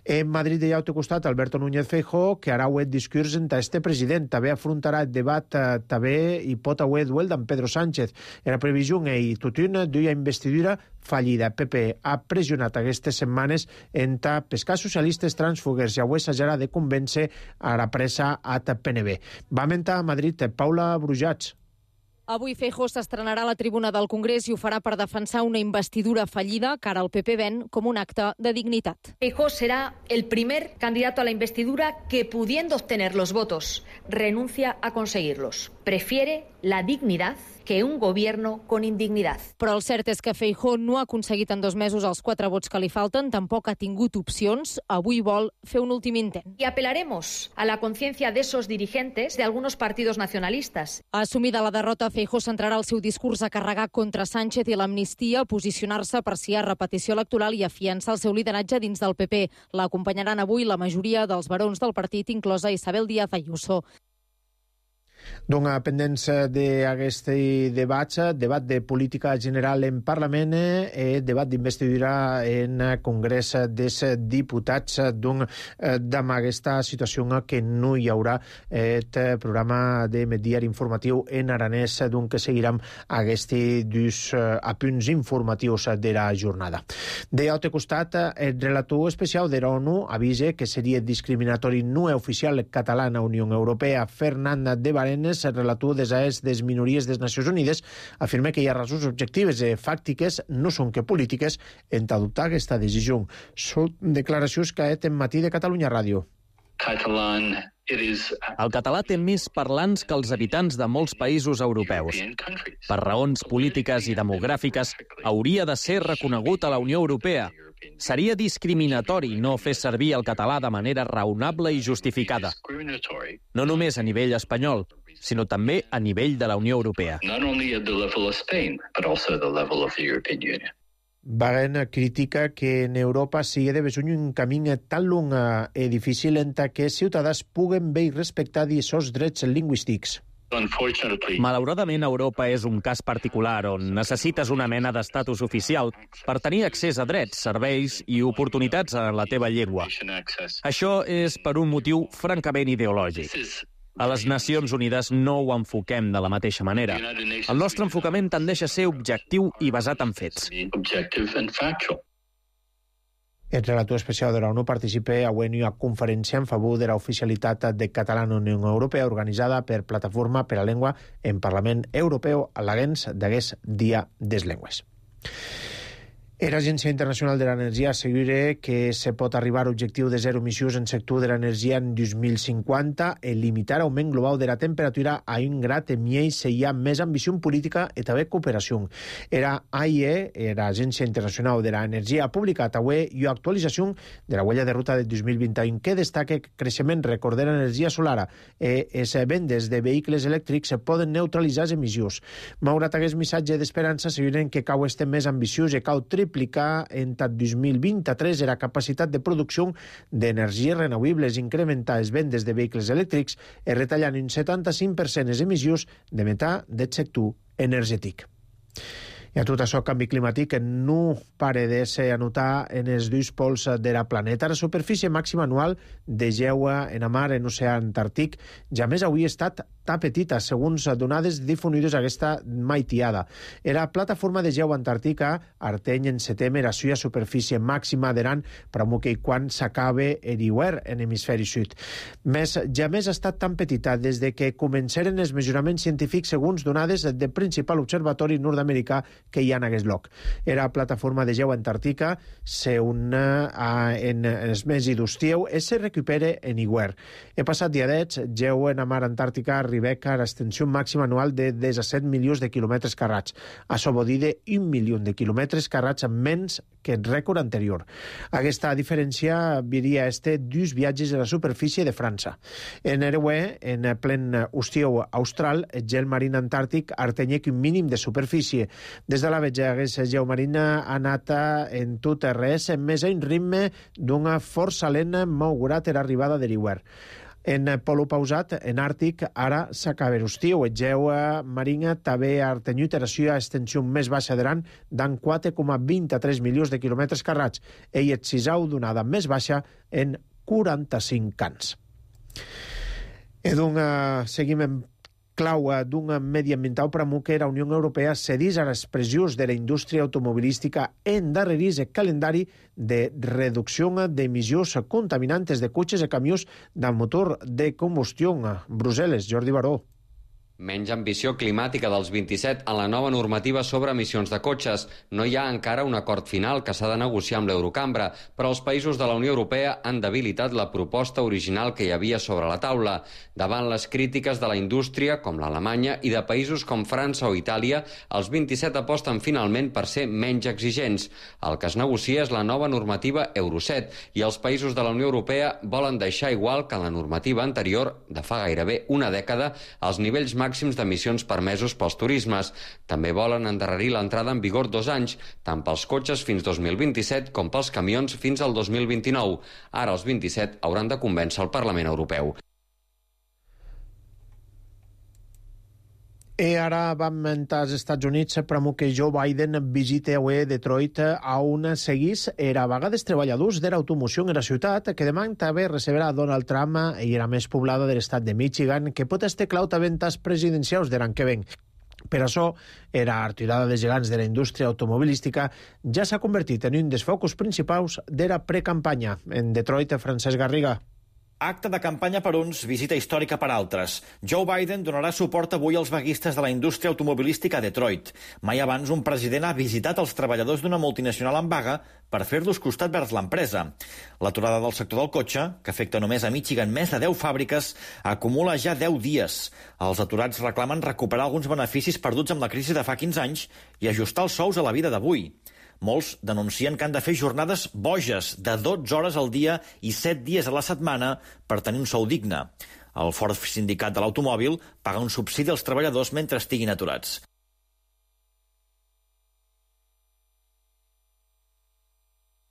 En Madrid hi ha al costat Alberto Núñez Feijóo, que harà un discurs entre este president. També afrontarà el debat, també hi pot haver duel d'en Pedro Sánchez. En la previsió i tutun d'una investidura fallida. PP ha pressionat aquestes setmanes entre pescar socialistes trànsfugues i avui s'haurà de convèncer a la pressa a PNB. Va mentar a Madrid Paula Brujats. Avui Feijóo s'estrenarà a la tribuna del Congrés i ho farà per defensar una investidura fallida que ara el PP ven com un acte de dignitat. Feijóo será el primer candidato a la investidura que, pudiendo obtener los votos, renuncia a conseguirlos. Prefiere la dignidad que un gobierno con indignidad. Però el cert és que Feijóo no ha aconseguit en 2 mesos els 4 vots que li falten, tampoc ha tingut opcions, avui vol fer un últim intent. Y apelaremos a la conciencia de esos dirigentes de algunos partidos nacionalistas. Assumida la derrota, Feijóo centrarà el seu discurs a carregar contra Sánchez i l'amnistia, posicionar-se per si hi ha repetició electoral i afiançar el seu lideratge dins del PP. L'acompanyaran avui la majoria dels barons del partit, inclosa Isabel Díaz Ayuso. Doncs pendents d'aquest debat de política general en Parlament, debat d'investidura en Congrés dels Diputats, amb aquesta situació que no hi haurà el programa de diari informatiu en aranès, que seguirem aquests dos apunts informatius de la jornada. D'altre costat, el relator especial de l'ONU avisa que seria discriminatori no oficial català en la Unió Europea. Fernanda de Barenes, el relator des les minories de les Nacions Unides, afirma que hi ha raons objectives i fàctiques, no són que polítiques, en adoptar aquesta decisió. Són declaracions que ha fet en Matí de Catalunya Ràdio. El català té més parlants que els habitants de molts països europeus. Per raons polítiques i demogràfiques, hauria de ser reconegut a la Unió Europea, Seria discriminatori no fer servir el català de manera raonable i justificada, no només a nivell espanyol, sinó també a nivell de la Unió Europea. Wagen critica que en Europa sigui de besonyo un camí tan long i difícil en què ciutadans puguen bé i respectar aquests drets lingüístics. Malauradament, Europa és un cas particular on necessites una mena d'estatus oficial per tenir accés a drets, serveis i oportunitats en la teva llengua. Això és per un motiu francament ideològic. A les Nacions Unides no ho enfoquem de la mateixa manera. El nostre enfocament tendeix a ser objectiu i basat en fets. El relator especial de la ONU participa a una conferència en favor de l'oficialitat de català en la Unió Europea organitzada per Plataforma per la Llengua en Parlament Europeu a l'Agens d'Aguest Dia des Llengües. L'Agència Internacional de l'Energia assegura que se pot arribar a l'objectiu de zero emissions en sector de l'energia en 2050 i limitar l'augment global de la temperatura a 1 grad en miei si hi ha més ambició política i també cooperació. Era AIE, l'Agència Internacional de l'Energia, ha publicat avui una actualització de la huella de ruta de 2021 que destaca que el creixement rècord de l'energia solar i les vendes de vehicles elèctrics poden neutralitzar les emissions. Malgrat aquest missatge d'esperança, asseguren que cal estar més ambiciós i cal triplicar en 2023 la capacitat de producció d'energies renovables, incrementar les vendes de vehicles elèctrics i retallant un 75% les emissions de metà del sector energètic. I a tot això, canvi climàtic no para de ser anotar en els dos pols de la planeta. La superfície màxima anual de gel en la mar en l'oceà Antàrtic ja més avui ha estat tan petita, segons donades difundides aquesta maitiada. La plataforma de gel antàrtica arteny en setembre la seva superfície màxima d'Iran per que quan s'acabe l'hivern en l'hemisferi sud. Més, jamais ha estat tan petita des de que començaren els mesuraments científics segons donades del principal observatori nord-americà que hi ha en aquest lloc. La plataforma de gel antàrtica s'una en els mesos d'estiu i se recupera en hivern. El passat dia 10, gel en la mar antàrtica arriba a l'extensió màxima anual de 17 milions de quilòmetres carrats. Això vol dir de 1 milió de quilòmetres carrats menys que el rècord anterior. Aquesta diferència viria a este dos viatges a la superfície de França. En Erewe, en plen estiu austral, el gel marín antàrtic artenya un mínim de superfície. Des de la vetja, aquest gel marín ha anat en tot res, més a un ritme d'una força lent malgrat l'arribada de l'hivern. En polo pausat, en Àrtic, ara s'acaba l'estiu. El gel marín també ha tenyut la seva extensió més baixa d'Iran d'en 4,23 milions de quilòmetres carrats. Ell és sisau donada més baixa en 45 anys. I doncs seguim en clau d'un mediambiental per a que la Unió Europea cedís a les pressions de la indústria automobilística endarrerís el calendari de reducció d'emissions contaminantes de cotxes i camions de motor de combustió. Brussel·les, Jordi Baró. Menys ambició climàtica dels 27 en la nova normativa sobre emissions de cotxes. No hi ha encara un acord final que s'ha de negociar amb l'Eurocambra, però els països de la Unió Europea han debilitat la proposta original que hi havia sobre la taula. Davant les crítiques de la indústria, com l'Alemanya, i de països com França o Itàlia, els 27 aposten finalment per ser menys exigents. El que es negocia és la nova normativa Euro 7 i els països de la Unió Europea volen deixar igual que en la normativa anterior, de fa gairebé una dècada, els nivells màxims d'emissions permesos pels turismes. També volen endarrerir l'entrada en vigor 2 anys, tant pels cotxes fins 2027 com pels camions fins al 2029. Ara els 27 hauran de convèncer el Parlament Europeu. I ara vam als Estats Units per que Joe Biden visita avui Detroit on seguís la vaga dels treballadors de l'automoció en la ciutat que demà també recebrà Donald Trump i la més poblada de l'estat de Michigan que pot estar clau també en tas presidencials de l'any que ven. Per això, la retirada de gegants de la indústria automobilística ja s'ha convertit en un dels focus principals de la precampanya. En Detroit, Francesc Garriga. Acte de campanya per uns, visita històrica per altres. Joe Biden donarà suport avui als vaguistes de la indústria automobilística a Detroit. Mai abans un president ha visitat els treballadors d'una multinacional en vaga per fer-los costat vers l'empresa. L'aturada del sector del cotxe, que afecta només a Michigan més de 10 fàbriques, acumula ja 10 dies. Els aturats reclamen recuperar alguns beneficis perduts amb la crisi de fa 15 anys i ajustar els sous a la vida d'avui. Molts denuncien que han de fer jornades boges de 12 hores al dia i 7 dies a la setmana per tenir un sou digne. El Ford Sindicat de l'Automòbil paga un subsidi als treballadors mentre estiguin aturats.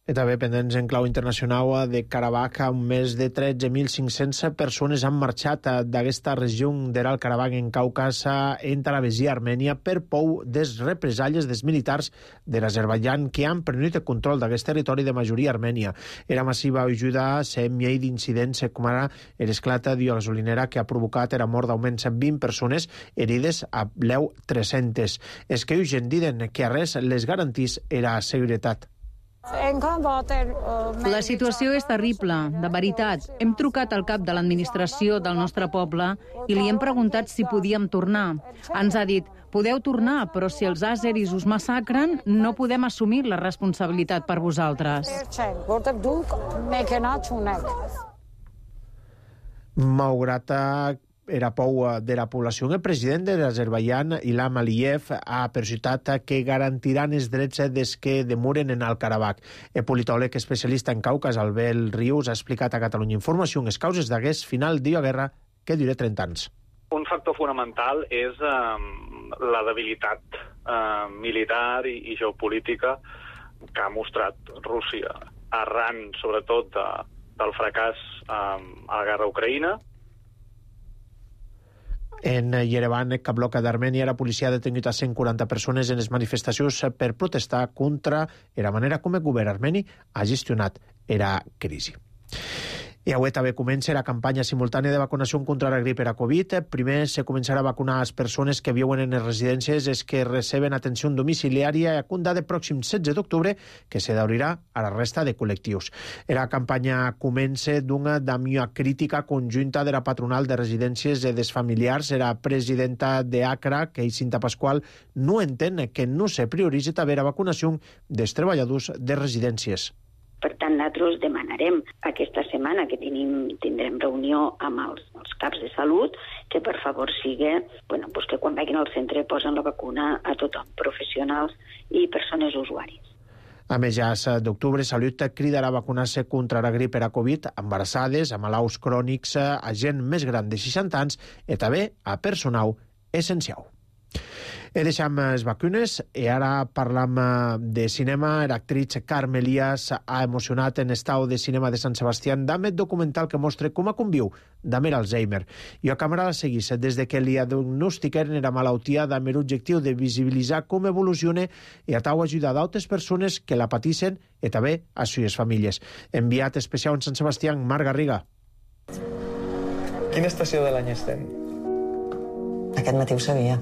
I també pendents en clau internacional de Karabakh, més de 13.500 persones han marxat d'aquesta regió d'Alt Karabakh en Caucas entre Abkhàzia i Armènia per por des represàlies dels militars de l'Azerbaidjan que han prenut el control d'aquest territori de majoria armènia. Era massiva ajuda ser miei d'incidents com ara l'esclat de gasolinera que ha provocat la mort d'almenys 20 persones, herides a bleu 300. És que Eugen diuen que a res les garantís la seguretat. La situació és terrible, de veritat. Hem trucat al cap de l'administració del nostre poble i li hem preguntat si podíem tornar. Ens ha dit, podeu tornar, però si els àzeris us massacren, no podem assumir la responsabilitat per vosaltres. Malgrat era por de la població, el president de l'Azerbaidjan, Ilham Aliyev, ha persistit que garantiran els drets des que demoren en Alt Karabakh. El politòleg especialista en Caucas, Albert Rius, ha explicat a Catalunya Informació les causes d'aquest final de guerra que dura 30 anys. Un factor fonamental és la debilitat militar i geopolítica que ha mostrat Rússia arran, sobretot, del fracàs a la guerra a Ucraïna. En Yerevan, cap bloc d'Armènia, la policia ha detengut a 140 persones en les manifestacions per protestar contra la manera com el govern armeni ha gestionat la crisi. I avui també comença la campanya simultània de vacunació contra la grip i la Covid. Primer se començarà a vacunar les persones que viuen en les residències és que reben atenció domiciliària a comptar del pròxim 16 d'octubre, que se d'obrirà a la resta de col·lectius. La campanya comença d'una crítica conjunta de la patronal de residències i dels familiars. La presidenta d'ACRA, Cinta Pasqual, no entén que no se prioritzi també la vacunació dels treballadors de residències. Per tant, nosaltres demanarem aquesta setmana que tindrem reunió amb els caps de salut que per favor sigui que quan vagin al centre posen la vacuna a tothom, professionals i persones usuàries. A mitjans d'octubre, Salut cridarà a vacunar-se contra la grip i la Covid a embarassades, a malalts crònics, a gent més gran de 60 anys i també a personal essencial. I deixem les vacunes i ara parlam de cinema. L'actriz Carme Elias ha emocionat en Estau de Cinema de Sant Sebastià amb el documental que mostra com conviu amb l'Alzheimer. I a càmera la seguís des de que li diagnostiqueren la malaltia amb l'objectiu de visibilitzar com evoluciona i a tau ajudar d'altres persones que la patissin i també a les seves famílies. Enviat especial en Sant Sebastià, Marc Garriga. Quina estació de l'any estem? Aquest matí ho sabia.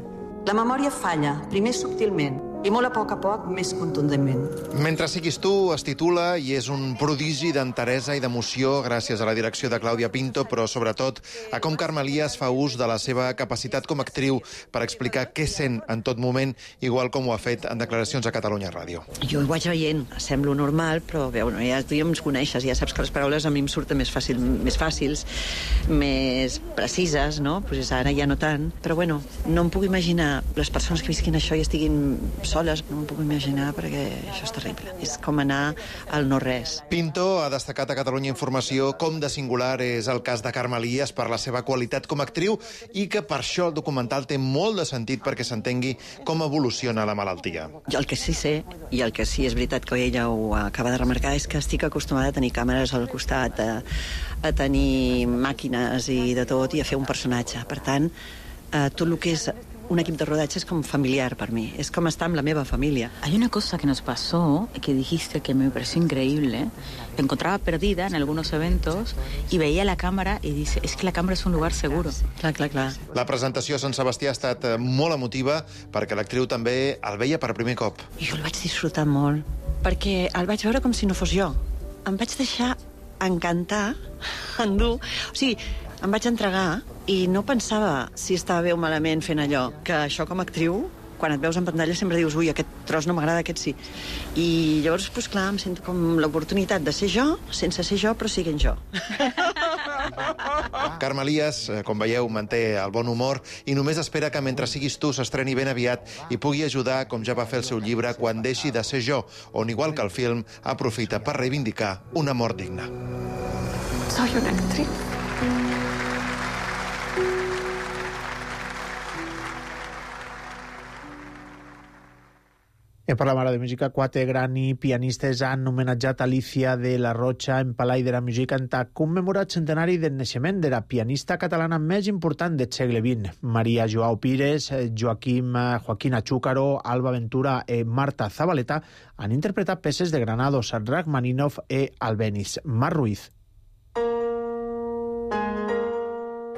La memòria falla, primer subtilment, i molt a poc, més contundentment. Mentre siguis tu, es titula i és un prodigi d'enteresa i d'emoció gràcies a la direcció de Clàudia Pinto, però sobretot a com Carme Elias fa ús de la seva capacitat com a actriu per explicar què sent en tot moment, igual com ho ha fet en declaracions a Catalunya Ràdio. Jo ho vaig veient, semblo normal, però ja tu ja ens coneixes, ja saps que les paraules a mi em surten més fàcils, més precises, no? Pues ara ja no tant, però no em puc imaginar les persones que visquin això i estiguin soles, no m'ho puc imaginar perquè això és terrible. És com anar al no-res. Pinto ha destacat a Catalunya Informació com de singular és el cas de Carme Elias per la seva qualitat com a actriu i que per això el documental té molt de sentit perquè s'entengui com evoluciona la malaltia. Jo el que sí sé, i el que sí és veritat que ella ho acaba de remarcar, és que estic acostumada a tenir càmeres al costat, a tenir màquines i de tot, i a fer un personatge. Per tant, tot el que és un equip de rodatge es como familiar para mí, es como estar en la misma familia. Hay una cosa que nos pasó, que dijiste que me pareció increíble. Te encontraba perdida en algunos eventos y veía la cámara y dice, es que la cámara es un lugar seguro. Clar. La presentació a Sant Sebastià ha estat molt emotiva perquè l'actriu també el veia per primer cop. Jo el vaig disfrutar molt, perquè el vaig veure com si no fos jo. Em vaig deixar encantar, endur, o sigui, em vaig entregar i no pensava si estava bé o malament fent allò, que això com a actriu, quan et veus en pantalla sempre dius, ui, aquest tros no m'agrada, aquest sí. I llavors, doncs clar, em sento com l'oportunitat de ser jo, sense ser jo, però siguent jo. Carme Elias, com veieu, manté el bon humor i només espera que Mentre siguis tu s'estreni ben aviat i pugui ajudar, com ja va fer el seu llibre Quan deixi de ser jo, on, igual que el film, aprofita per reivindicar una mort digna. Soy una actriz. Per la Mare de Música, 4 grans pianistes han homenatjat Alicia de la Rocha en Palai de la Música en commemorat centenari del naixement de la pianista catalana més important del segle XX. Maria Joao Pires, Joaquina Chúcaro, Alba Ventura i Marta Zabaleta han interpretat peces de Granados, Rachmaninoff i Albéniz. Mar Ruiz.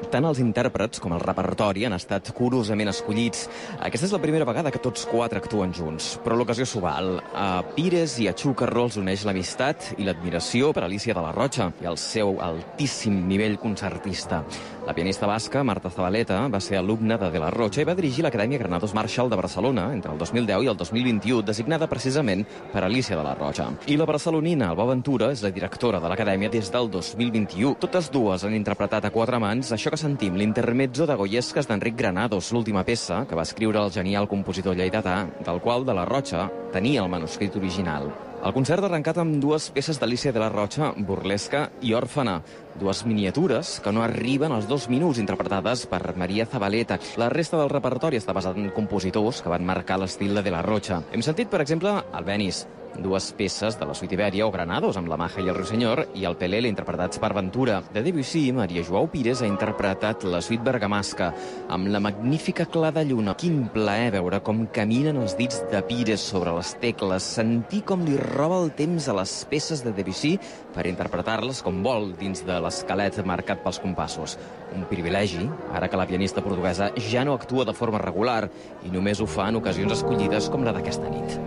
Tant els intèrprets com el repertori han estat curosament escollits. Aquesta és la primera vegada que tots 4 actuen junts, però l'ocasió s'ho val. A Pires i a Chúcaro els uneix l'amistat i l'admiració per Alicia de la Rocha i el seu altíssim nivell concertista. La pianista basca Marta Zabaleta va ser alumna de la Rocha i va dirigir l'Acadèmia Granados Marshall de Barcelona entre el 2010 i el 2021, designada precisament per Alicia de la Rocha. I la barcelonina Alba Ventura és la directora de l'Acadèmia des del 2021. Totes dues han interpretat a 4 mans això que sentim, l'intermezzo de Goyesques d'Enric Granados, l'última peça que va escriure el genial compositor lleidatà, del qual de la Rocha tenia el manuscrit original. El concert ha arrencat amb 2 peces d'Alicia de la Rocha, Burlesca i Òrfana, 2 miniatures que no arriben als 2 minuts, interpretades per Maria Zabaleta. La resta del repertori està basat en compositors que van marcar l'estil de la Rocha. Hem sentit, per exemple, Albéniz, 2 peces de la Suite Ibèria o Granados, amb la Maja i el Ruiseñor, i el Pelele, interpretats per Ventura. De Debussy, Maria Joao Pires ha interpretat la Suite Bergamasca, amb la magnífica clar de lluna. Quin plaer veure com caminen els dits de Pires sobre les tecles, sentir com li roba el temps a les peces de Debussy per interpretar-les com vol dins de l'esquelet marcat pels compassos. Un privilegi, ara que la pianista portuguesa ja no actua de forma regular i només ho fa en ocasions escollides com la d'aquesta nit.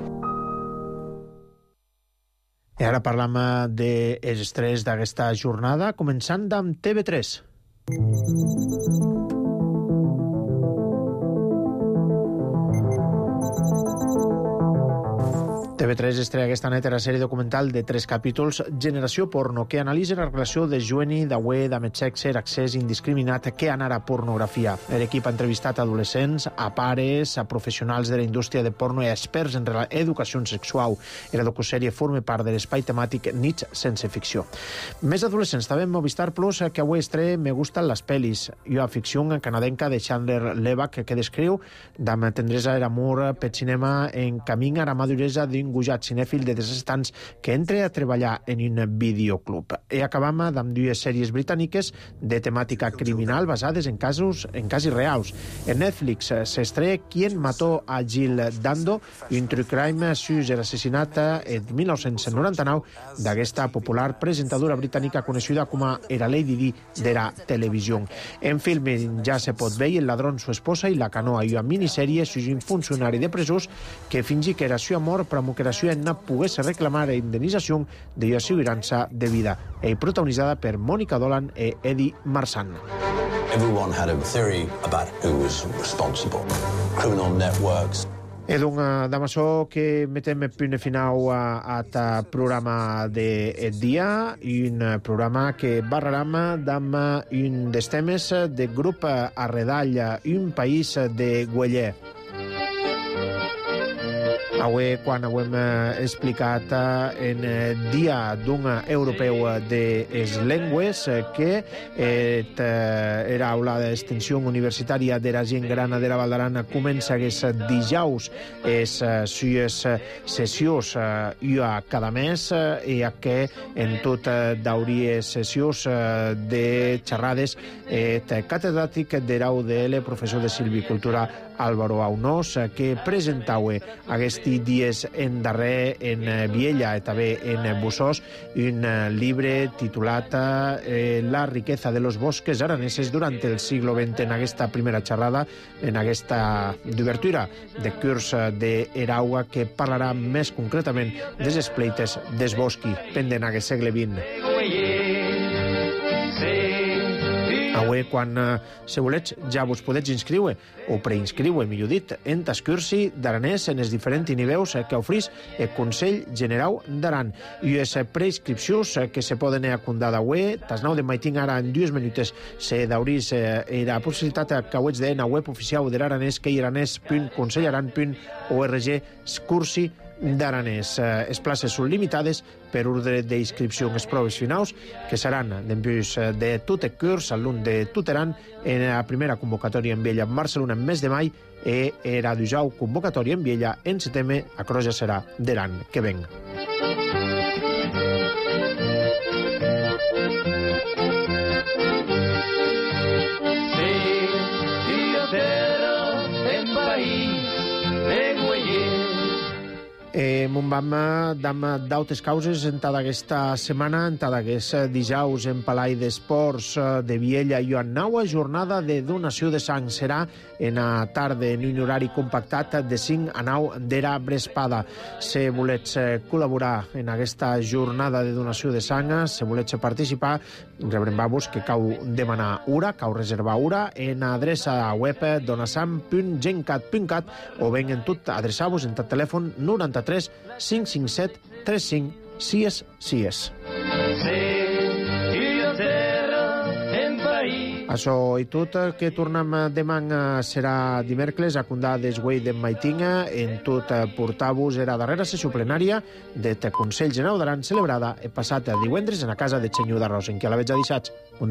I ara parlam dels estrès d'aquesta jornada, començant amb TV3. TV3 estrena aquesta nit la sèrie documental de 3 capítols Generació Porno, que analitza la relació de Joeni, d'Aué, d'Amet Sexe, accés indiscriminat que anara a pornografia. L'equip ha entrevistat adolescents, a pares, a professionals de la indústria de porno i a experts en educació sexual. La docusèrie forma part de l'espai temàtic Nits sense ficció. Més adolescents també en Movistar Plus, que avui estrena Me gustan las pelis, i una ficció canadenca de Chandler Levac que descriu amb tendresa l'amor pel cinema en camí a la maduresa d'un gujat cinèfil de 17 anys que entra a treballar en un videoclub. I acabam amb 2 sèries britàniques de temàtica criminal basades en casos reals. En Netflix s'estrena Quién mató a Jill Dando, un true crime sus l'assassinat en 1999 d'aquesta popular presentadora britànica coneguda com a la Lady Di de la televisió. En film ja se pot veure El ladrón, su esposa i La canoa, i una minissèrie sus un funcionari de presós que fingi que era su amor per que la seva nena pogués reclamar la indemnització de la assegurança de vida, i protagonitzada per Mònica Dolan i Eddie Marsan. Everyone had a theory about who was responsible. Criminal networks. Donc, damb això que metem punt final a aquest programa de dia, un programa que barrarem amb un dels temes del grup Arredall, un país de Güeller. Avui, quan ho hem explicat en dia d'un europeu de les llengües, que era aula d'extensió universitària de la gent gran de la Val d'Aran comença aquests dijous les sues sessions cada mes, i que en tot d'hauries sessions de xerrades catedràtic de la UDL, professor de silvicultura Álvaro Aunós, que presentau aquests dies en darrer en Viella i també en Bussós un llibre titulat La riqueza de los bosques araneses durant el siglo XX. En aquesta primera xerrada, en aquesta d'obertura de curs d'Eraua, que parlarà més concretament dels espleites des bosqui pendent aquest segle XX. Avui, quan se volets, ja vos podets inscriure, o preinscriure, millor dit, en tas cursi d'aranès en els diferents niveus que oferís el Consell Generau d'Aran. I les preinscripcions que se poden acundar d'avui, tas 9 de maitin ara en 2 minutes se daurís la possibilitat que ho ets de la web oficial de l'aranès, que iraranès.consellaran.org cursi d'aranès. Les places són limitades per ordre d'inscripció. Les proves finals, que seran d'embús de tot el curs, alumn de tot Aran, en la primera convocatòria en Viella en Barcelona en mes de mai, i era d'ujau convocatòria en Viella en setembre, a Croja serà d'Aran que venga. Mon vam d'autes causes en tota aquesta setmana, en tot aquest dijous en Palai d'Esports de Viella i Joan Naua, jornada de donació de sang. Serà en la tarda, en un horari compactat de 5 a 9 d'era Brespada. Si volets col·laborar en aquesta jornada de donació de sang, si volets participar, rebrem-vos que cau demanar hora, cau reservar hora en adreça web donasang.gencat.cat o ben en tot adreçar-vos en tot telèfon 93 557 35 6. Això i tot, que tornem demà serà dimecres a Condà d'Esguei de Maitinga. En tot portar-vos era darrera sessió plenària del Consell Generau d'Aran celebrada el passat divendres en la casa de Xenyu d'Arròs, en què la veig a dissats. Bon dia.